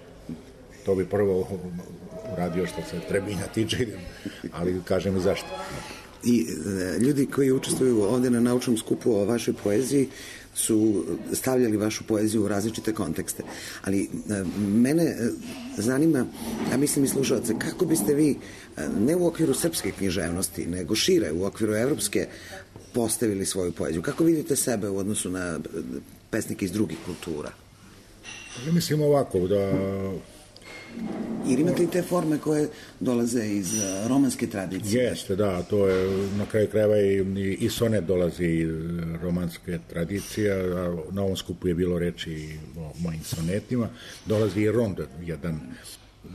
To bi prvo uradio što se Trebinja tiče, ali kažem i zašto. I e, ljudi koji učestvuju ovde na naučnom skupu o vašoj poeziji su stavljali vašu poeziju u različite kontekste. Ali e, mene e, zanima, ja mislim i slušalce, kako biste vi, e, ne u okviru srpske književnosti, nego šire, u okviru evropske, postavili svoju poeziju? Kako vidite sebe u odnosu na pesnike iz drugih kultura? Ja mislim ovako, da... Jer imate i te forme koje dolaze iz romanske tradicije. Jeste, da, to je na kraju krajeva i, i sonet dolazi iz romanske tradicije, a na ovom skupu je bilo reči o mojim sonetima. Dolazi i rond, jedan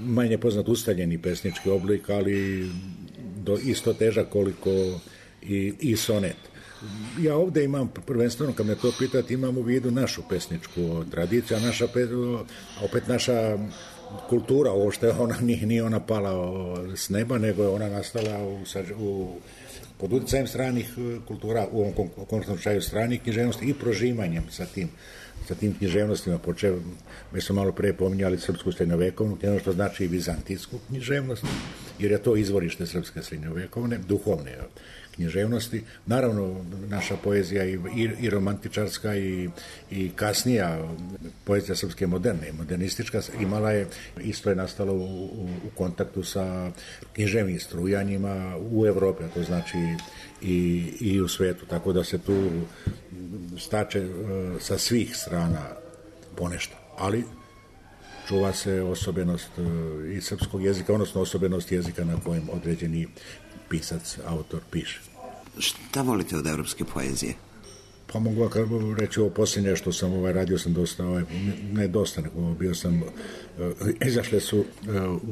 manje poznat ustaljeni pesnički oblik, ali do, isto težak koliko i, i sonet. Ja ovde imam, prvenstveno kad me to pitati, imam u vidu našu pesničku tradiciju, a naša, opet naša kultura, ovo što je ona, nije, nije ona pala s neba, nego je ona nastala u, u, pod utjecajem stranih kultura, u ovom konkretnom slučaju stranih književnosti i prožimanjem sa tim, sa tim književnostima, počeo, mi smo malo pre pominjali srpsku srednjovekovnu književnost, što znači i vizantijsku književnost, jer je to izvorište srpske srednjovekovne, duhovne književnosti. Naravno, naša poezija i, i, i romantičarska i, i kasnija poezija srpske moderne, modernistička, imala je, isto je nastalo u, u, u kontaktu sa književnim strujanjima u Evropi, a to znači i, i u svetu, tako da se tu stače uh, sa svih strana ponešto, ali čuva se osobenost uh, i srpskog jezika, odnosno osobenost jezika na kojem određeni pisac, autor piše. Šta volite od evropske poezije? Pa mogu reći ovo posljednje što sam ovaj, radio sam dosta, ovaj, ne dosta, nego bio sam, uh, izašle su uh,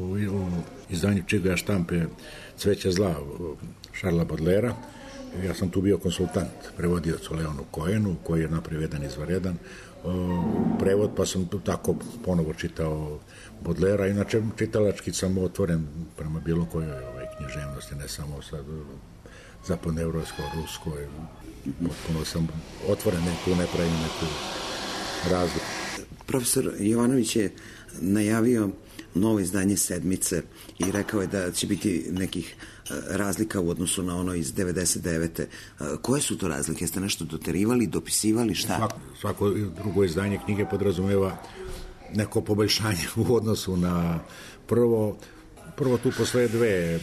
u, u izdanju Čigoja štampe Cveće zla Šarla Bodlera. Ja sam tu bio konsultant, prevodioc u Leonu Koenu, koji je napreveden izvaredan uh, prevod, pa sam tu tako ponovo čitao Bodlera. Inače, čitalački sam otvoren prema bilo kojoj ovaj, književnosti, ne samo sad zapadnoevropskoj, ruskoj. Potpuno sam otvoren, tu ne pravim neku razliku. Profesor Jovanović je najavio novo izdanje Sedmice i rekao je da će biti nekih razlika u odnosu na ono iz devedeset devete. Koje su to razlike? Jeste nešto doterivali, dopisivali, šta? Svako, svako drugo izdanje knjige podrazumeva neko poboljšanje u odnosu na prvo. Prvo tu postoje dve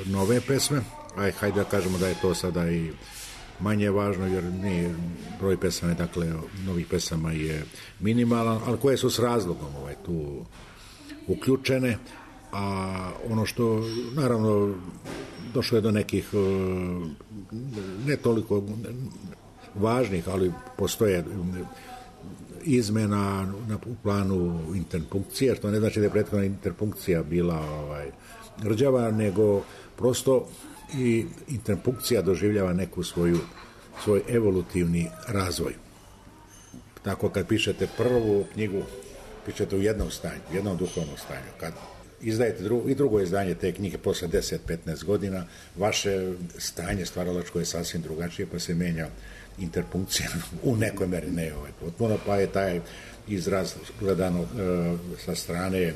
nove pesme, aj hajde da kažemo da je to sada i manje važno, jer nije broj pesama, dakle novih pesama je minimalan, ali koje su s razlogom ovaj, tu uključene, a ono što naravno došlo je do nekih ne toliko važnih, ali postoje izmena na planu interpunkcije, što ne znači da je prethodna interpunkcija bila ovaj, rđava, nego prosto i interpunkcija doživljava neku svoju svoj evolutivni razvoj. Tako kad pišete prvu knjigu, pišete u jednom stanju, u jednom duhovnom stanju. Kad izdajete drugo, i drugo izdanje te knjige posle deset do petnaest godina, vaše stanje stvaralačko je sasvim drugačije, pa se menja interpunkcija u nekoj meri, ne ovaj potpuno, pa je taj izraz gledano e, sa strane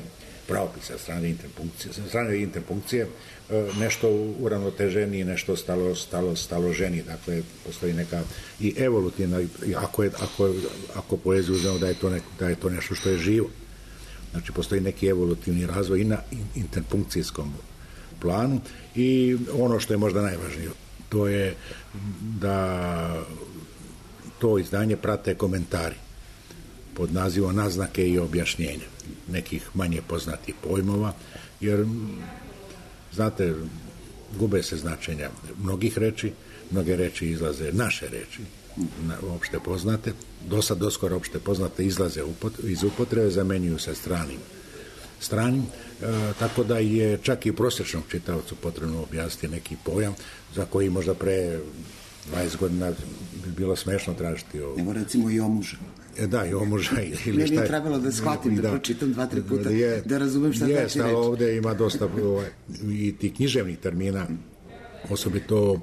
pravopisa, sa strane interpunkcije, sa strane interpunkcije e, nešto uravnoteženiji, nešto stalo, stalo, staloženiji, dakle postoji neka i evolutivna, ako, je, ako, ako poeziju uzmemo da je, to ne, da je to nešto što je živo. Znači, postoji neki evolutivni razvoj i na interpunkcijskom planu i ono što je možda najvažnije, to je da to izdanje prate komentari pod nazivom naznake i objašnjenja nekih manje poznatih pojmova, jer, znate, gube se značenja mnogih reči, mnoge reči izlaze, naše reči, opšte poznate, do sad doskoro opšte poznate izlaze iz upotrebe, zamenjuju se stranim. stranim e, tako da je čak i prosječnom čitaocu potrebno objasniti neki pojam za koji možda pre dvadeset godina bi bilo smešno tražiti ovo. Evo recimo i omuža. E, da, i omuža. Ili Meni šta je trebalo da shvatim, da, da pročitam dva, tri puta, je, da razumem šta je, znači reći. Ovde ima dosta ovaj, i ti književnih termina, osobito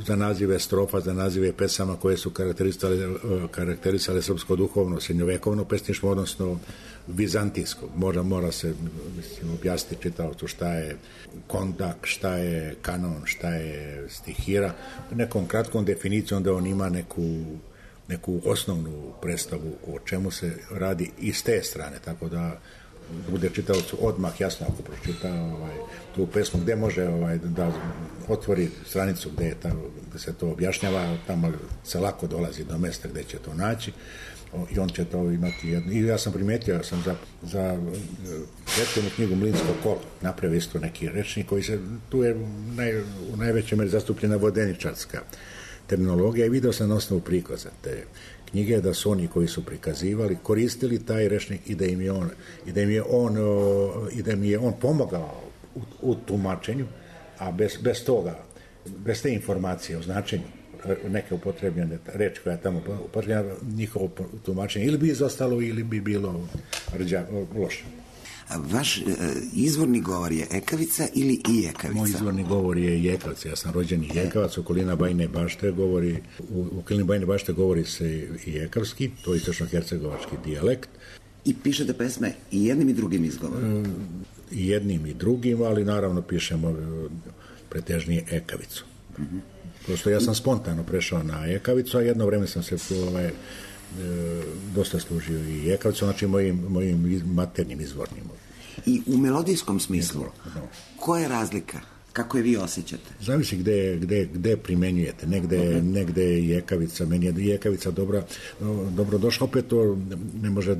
za nazive strofa, za nazive pesama koje su karakterisale, karakterisale srpsko duhovno, srednjovekovno pesništvo, odnosno vizantijsko. Mora, mora se mislim, objasniti čitaocu šta je kondak, šta je kanon, šta je stihira. Nekom kratkom definicijom da on ima neku, neku osnovnu predstavu o čemu se radi i s te strane, tako da bude čitaocu odmah jasno ako pročita ovaj, tu pesmu, gde može ovaj, da otvori stranicu gde, je ta, gde se to objašnjava, tamo se lako dolazi do mesta gde će to naći i on će to imati jedno. I ja sam primetio, ja sam za, za prethodnu knjigu Mlinsko kolo napravio isto neki rečnik koji se, tu je naj, u najvećoj meri zastupljena vodeničarska terminologija i video sam na osnovu prikaza te knjige da su oni koji su prikazivali koristili taj rečnik i da im je on i da im je on i da im je on pomogao u, u tumačenju, a bez, bez toga, bez te informacije o značenju neke upotrebljene reči koja je tamo upotrebljena, njihovo tumačenje ili bi izostalo ili bi bilo rđa, loše. Vaš e, izvorni govor je ekavica ili i ekavica? Moj izvorni govor je jekavac. Ja sam rođeni jekavac, okolina Bajine Bašte govori, u okolini Bajine Bašte govori se i jekavski, to je istočno-hercegovački dijalekt. I pišete pesme i jednim i drugim izgovorom? I jednim i drugim, ali naravno pišemo pretežnije ekavicu. Mm-hmm. Prosto ja sam spontano prešao na ekavicu, a jedno vreme sam se ovaj, e, dosta služio i jekavicom, znači mojim, mojim maternjim izvornim. I u melodijskom smislu, no. Koja je razlika? Kako je vi osjećate? Zavisi gde, gde, gde primenjujete. Negde, okay. negde je jekavica, meni je jekavica dobra, dobro došla, opet to ne može,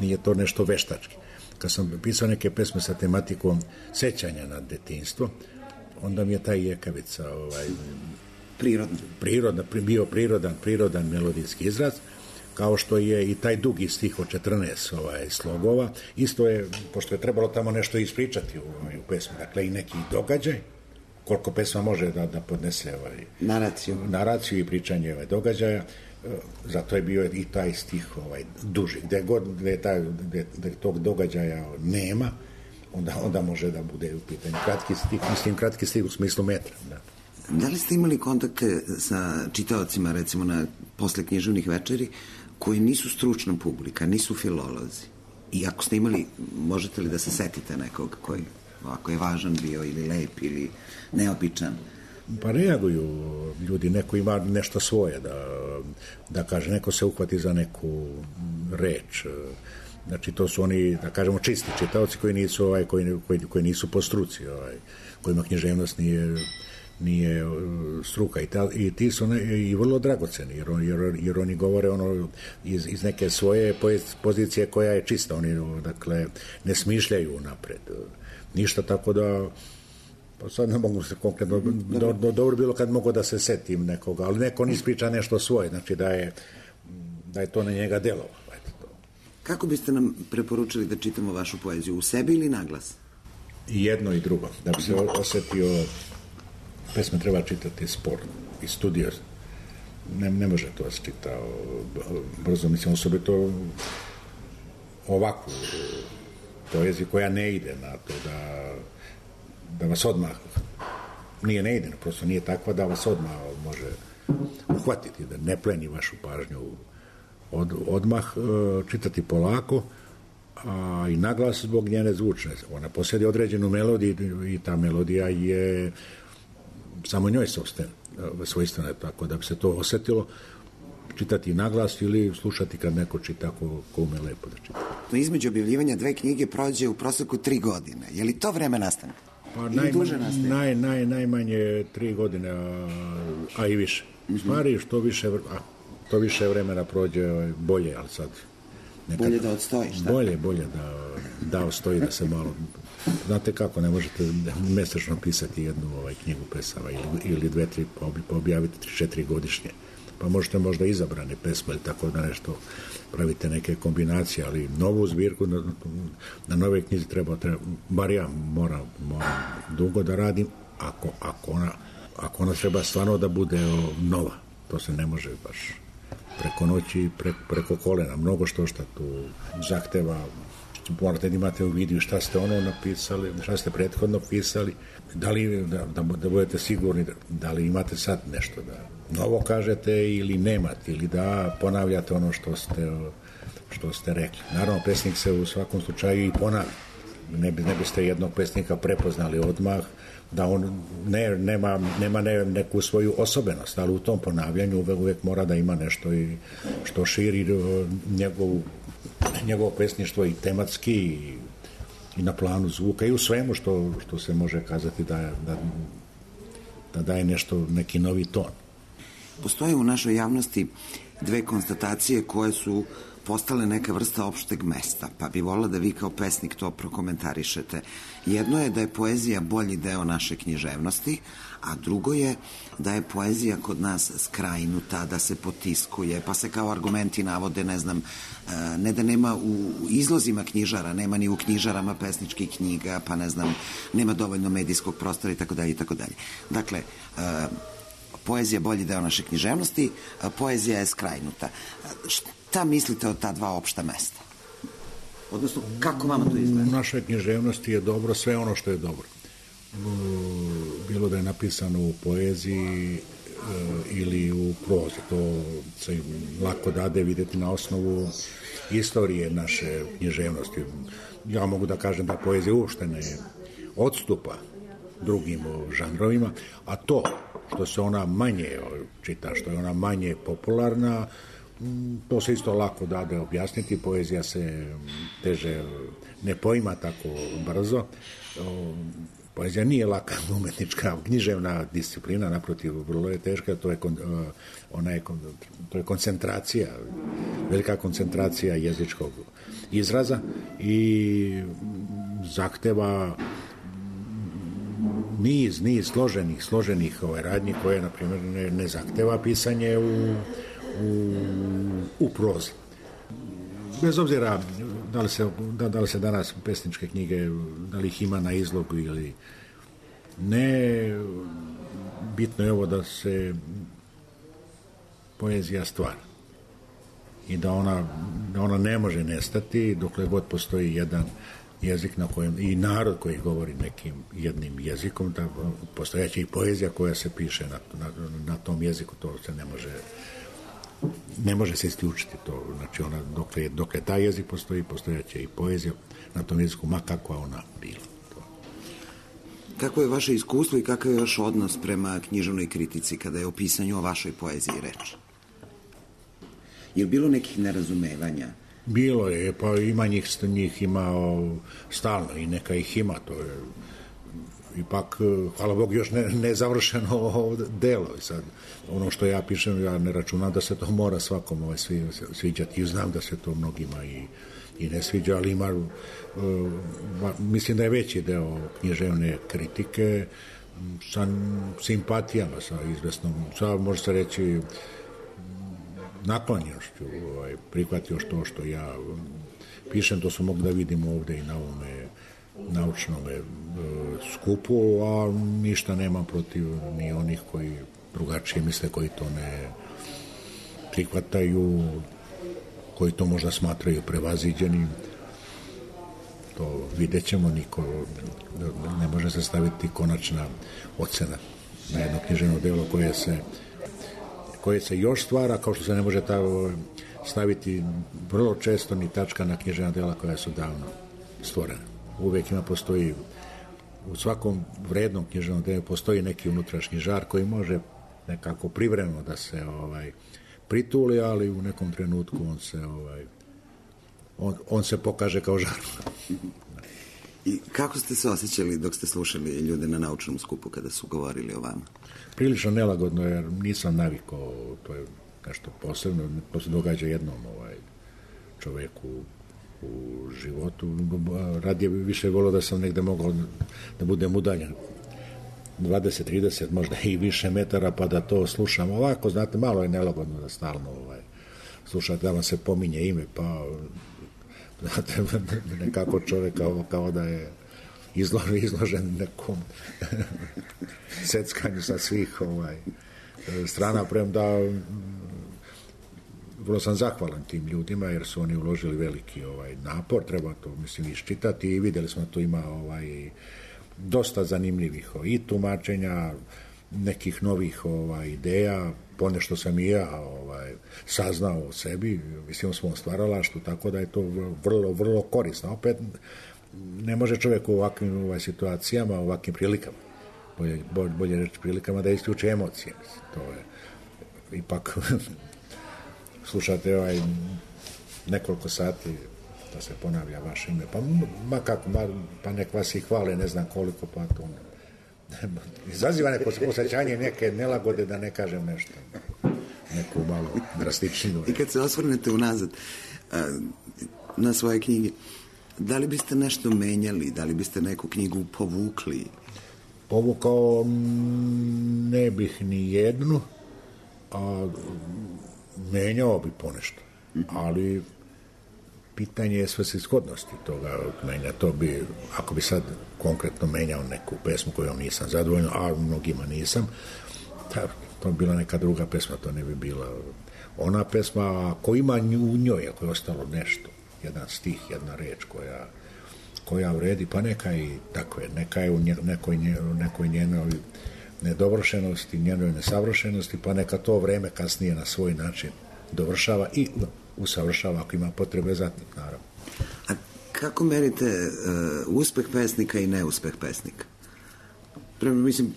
nije to nešto veštački. Kad sam pisao neke pesme sa tematikom sećanja na detinjstvo, onda mi je taj jekavica ovaj, prirodno. Prirodna, bio prirodan, prirodan melodijski izraz, kao što je i taj dugi stih od četrnaest ovaj, slogova. Isto je, pošto je trebalo tamo nešto ispričati u, u pesmi, dakle i neki događaj, koliko pesma može da, da podnese ovaj, naraciju. naraciju i pričanje ovaj, događaja, zato je bio i taj stih ovaj, duži. Gde god gde, taj, gde, gde tog događaja nema, onda, onda može da bude u pitanju kratki stih, mislim kratki stih u smislu metra. Da. Da li ste imali kontakte sa čitaocima, recimo na posle književnih večeri, koji nisu stručna publika, nisu filolozi? I ako ste imali, možete li da se setite nekog koji ovako je važan bio ili lep ili neobičan? Pa reaguju ljudi, neko ima nešto svoje da, da kaže, neko se uhvati za neku reč. Znači to su oni, da kažemo, čisti čitaoci koji nisu, ovaj, koji, koji, koji nisu po struci, ovaj, kojima književnost nije nije struka i, ta, i ti su ne, i vrlo dragoceni jer, on, jer, jer oni govore ono iz, iz neke svoje pozicije koja je čista, oni dakle ne smišljaju napred ništa, tako da pa sad ne mogu se konkretno do, do, dobro bilo kad mogu da se setim nekoga, ali neko ne ispriča nešto svoje, znači da je da je to na njega delovalo. Kako biste nam preporučili da čitamo vašu poeziju, u sebi ili naglas? I jedno i drugo, da bi se osetio. Pesme treba čitati sporno i studiozno. ne, ne može to se čita brzo, mislim, osobito ovakvu poeziju koja ne ide na to da, da vas odmah, nije ne ide, prosto nije takva da vas odmah može uhvatiti, da ne pleni vašu pažnju od, odmah, čitati polako, a i naglas zbog njene zvučne. Ona posjedi određenu melodiju i ta melodija je samo njoj svojstvena, tako da bi se to osjetilo, čitati naglas ili slušati kad neko čita ko, ko ume lepo da čita. Između objavljivanja dve knjige prođe u proseku tri godine. Je li to vreme nastanka? Pa naj, naj, naj, najmanje tri godine, a, a i više. U stvari, što više, a, to više vremena prođe bolje, ali sad... Nekad, bolje da odstoji, šta? Bolje, bolje da, da odstoji, da se malo... Znate kako, ne možete mesečno pisati jednu ovaj, knjigu pesama ili, ili dve, tri, pa objaviti tri, četiri godišnje. Pa možete možda izabrane pesme ili tako da nešto pravite neke kombinacije, ali novu zbirku na, na nove knjizi treba, treba, bar ja moram, moram dugo da radim, ako, ako, ona, ako ona treba stvarno da bude o, nova. To se ne može baš preko noći, pre, preko kolena. Mnogo što što tu zahteva. Morate da imate u vidu šta ste ono napisali, šta ste prethodno pisali, da li da, da, da budete sigurni da, da li imate sad nešto da novo kažete ili nemate, ili da ponavljate ono što ste, što ste rekli. Naravno, pesnik se u svakom slučaju i ponavlja. Ne, ne biste jednog pesnika prepoznali odmah, da on ne, nema, nema ne, neku svoju osobenost, ali u tom ponavljanju uvek, uvek mora da ima nešto i što širi njegovu njegovo pesništvo i tematski i, i na planu zvuka i u svemu što, što se može kazati da, da, da daje nešto, neki novi ton. Postoje u našoj javnosti dve konstatacije koje su postale neka vrsta opšteg mesta, pa bi volila da vi kao pesnik to prokomentarišete. Jedno je da je poezija bolji deo naše književnosti, a drugo je da je poezija kod nas skrajnuta, da se potiskuje, pa se kao argumenti navode, ne znam, ne da nema u izlozima knjižara, nema ni u knjižarama pesničkih knjiga, pa ne znam, nema dovoljno medijskog prostora i tako dalje i tako dalje. Dakle, poezija bolji deo naše književnosti, poezija je skrajnuta. Šta mislite o ta dva opšta mesta? Odnosno, kako vama to izgleda? U našoj književnosti je dobro sve ono što je dobro. Bilo da je napisano u poeziji ili u prozi. To se lako dade vidjeti na osnovu istorije naše književnosti. Ja mogu da kažem da poezija uopšte ne odstupa drugim žanrovima, a to što se ona manje čita, što je ona manje popularna, to se isto lako dade objasniti. Poezija se teže ne poima tako brzo. Poezija nije laka umetnička, književna disciplina, naprotiv, vrlo je teška, to je, ona je, to je koncentracija, velika koncentracija jezičkog izraza i zahteva niz, niz složenih, složenih ovaj, radnji koje, na primjer, ne, ne zahteva pisanje u, u, u prozi. Bez obzira da li, se, da, da li se danas pesničke knjige, da li ih ima na izlogu ili ne, bitno je ovo da se poezija stvara i da ona, da ona ne može nestati dokle god postoji jedan jezik na kojem, i narod koji govori nekim jednim jezikom, da postojaće i poezija koja se piše na, na, na tom jeziku, to se ne može ne može se isključiti to, znači ona, dokle, dokle taj jezik postoji, postojaće i poezija na tom jeziku, ma kakva ona bila. To. Kako je vaše iskustvo i kakav je vaš odnos prema književnoj kritici kada je o pisanju o vašoj poeziji reč? Je li bilo nekih nerazumevanja? Bilo je, pa ima njih, njih ima stalno i neka ih ima, to je ipak, hvala Bog, još ne, ne završeno delo. Sad, ono što ja pišem, ja ne računam da se to mora svakom ovaj, svi, sviđati. I znam da se to mnogima i, i ne sviđa, ali ima, uh, mislim da je veći deo književne kritike sa simpatijama, sa izvesnom, sa, može se reći, naklonjenošću, ovaj, prihvatio što što ja pišem, to su mogu da vidim ovde i na ovome naučnom e, skupu, a ništa nemam protiv ni onih koji drugačije misle, koji to ne, prihvataju, koji to možda smatraju prevaziđenim. To vidjet ćemo, niko ne može se staviti konačna ocena na jedno književno delo koje se, koje se još stvara, kao što se ne može ta, staviti vrlo često ni tačka na književna dela koja su davno stvorena. Uvijek ima postoji, u svakom vrednom književnom delu postoji neki unutrašnji žar koji može nekako privremeno da se ovaj, prituli, ali u nekom trenutku on se ovaj, on, on se pokaže kao žar. I kako ste se osjećali dok ste slušali ljude na naučnom skupu kada su govorili o vama? Prilično nelagodno, jer nisam navikao, to je nešto posebno, to se događa jednom ovaj, čoveku u životu. Radije bi više volio da sam negde mogao da budem udaljen dvadeset trideset, možda i više metara, pa da to slušam ovako, znate, malo je nelagodno da stalno ovaj, slušate da vam se pominje ime, pa znate, nekako čovjek kao, kao da je izložen, izložen nekom seckanju sa svih ovaj, strana, premda vrlo sam zahvalan tim ljudima jer su oni uložili veliki ovaj, napor, treba to mislim iščitati i vidjeli smo da tu ima ovaj, dosta zanimljivih i tumačenja, nekih novih ovaj, ideja, ponešto sam i ja ovaj, saznao o sebi, mislim o svom stvaralaštvu, tako da je to vrlo, vrlo korisno. Opet ne može čovjek u ovakvim ovaj, situacijama, u ovakvim prilikama, bolje, bolje reći prilikama da isključe emocije. To je ipak slušate ovaj, nekoliko sati da se ponavlja vaše ime, pa ma kako, ma, pa nek vas i hvale, ne znam koliko, pa to izaziva neko osjećanje neke nelagode, da ne kažem nešto, neku malo drastičniju. I kad se osvrnete unazad na svoje knjige, da li biste nešto menjali, da li biste neku knjigu povukli? Povukao ne bih ni jednu, a menjao bi ponešto, ali pitanje je svrsishodnosti toga menja. To bi, ako bi sad konkretno menjao neku pesmu kojom nisam zadovoljan, a mnogima nisam, to bi bila neka druga pesma, to ne bi bila ona pesma. Ako ima u njoj, ako je ostalo nešto, jedan stih, jedna reč koja, koja vredi, pa neka i tako je, neka je u nekoj, nekoj njenoj nedovršenosti, njenoj nesavršenosti, pa neka to vreme kasnije na svoj način dovršava i usavršava ako ima potrebe za tim, naravno. A kako merite uh, uspeh pesnika i neuspeh pesnika? Pre, mislim,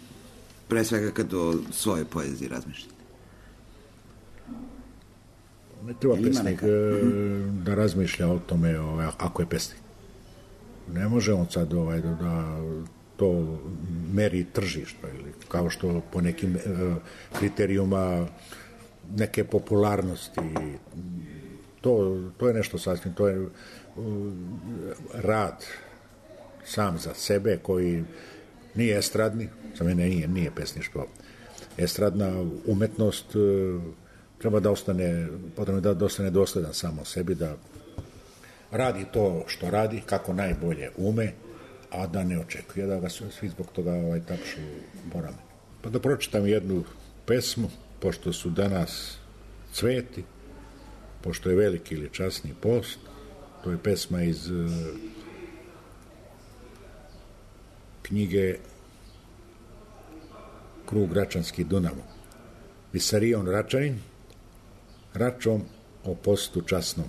pre svega kad o svojoj poeziji razmišljate. Ne treba pesnik uh, da razmišlja o tome ovaj, ako je pesnik. Ne može on sad ovaj, da, da to meri tržišta ili kao što po nekim uh, kriterijuma neke popularnosti. To, to je nešto sasvim, to je uh, rad sam za sebe koji nije estradni, za mene nije, nije pesništvo. Estradna umetnost uh, treba da ostane, potrebno da ostane dosledan samo sebi, da radi to što radi, kako najbolje ume, a da ne očekuje da ga svi zbog toga ovaj, tapšu po ramenu. Pa da pročitam jednu pesmu, pošto su danas cveti, pošto je veliki ili časni post, to je pesma iz uh, knjige Krug Račanski Dunavo. Visarion Račanin, račom o postu časnom.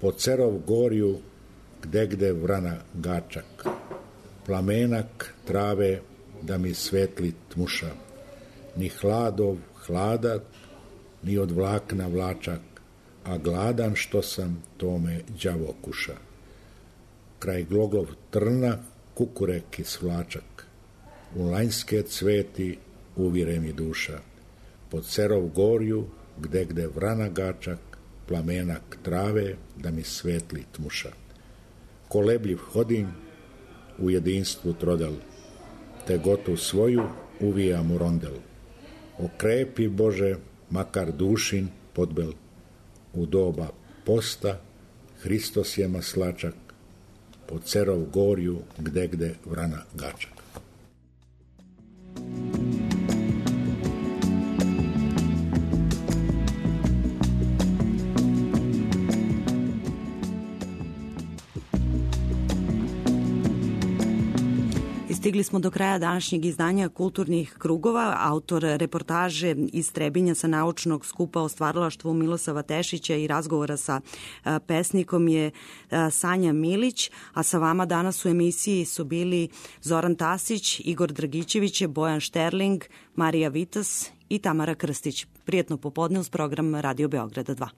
Po Cerov gorju, gde gde vrana gačak, plamenak trave da mi svetli tmuša, ni hladov hladak, ni od vlakna vlačak, a gladan što sam, tome đavo kuša. Kraj glogov trna, kukurek i svlačak, u lanjske cveti uvire mi duša, pod Cerov gorju, gde gde vrana gačak, plamenak trave, da mi svetli tmuša. Kolebljiv hodim, u jedinstvu trodel, te gotu svoju uvijam u rondel. Okrepi, Bože, makar dušin podbel, u doba posta, Hristos je maslačak, po Cerov gorju, gde gde vrana gačak. I stigli smo do kraja današnjeg izdanja Kulturnih krugova. Autor reportaže iz Trebinja sa naučnog skupa o stvaralaštvu Milosava Tešića i razgovora sa pesnikom je Sanja Milić, a sa vama danas u emisiji su bili Zoran Tasić, Igor Dragićević, Bojan Šterling, Marija Vitas i Tamara Krstić. Prijetno popodne uz program Radio Beograda dva.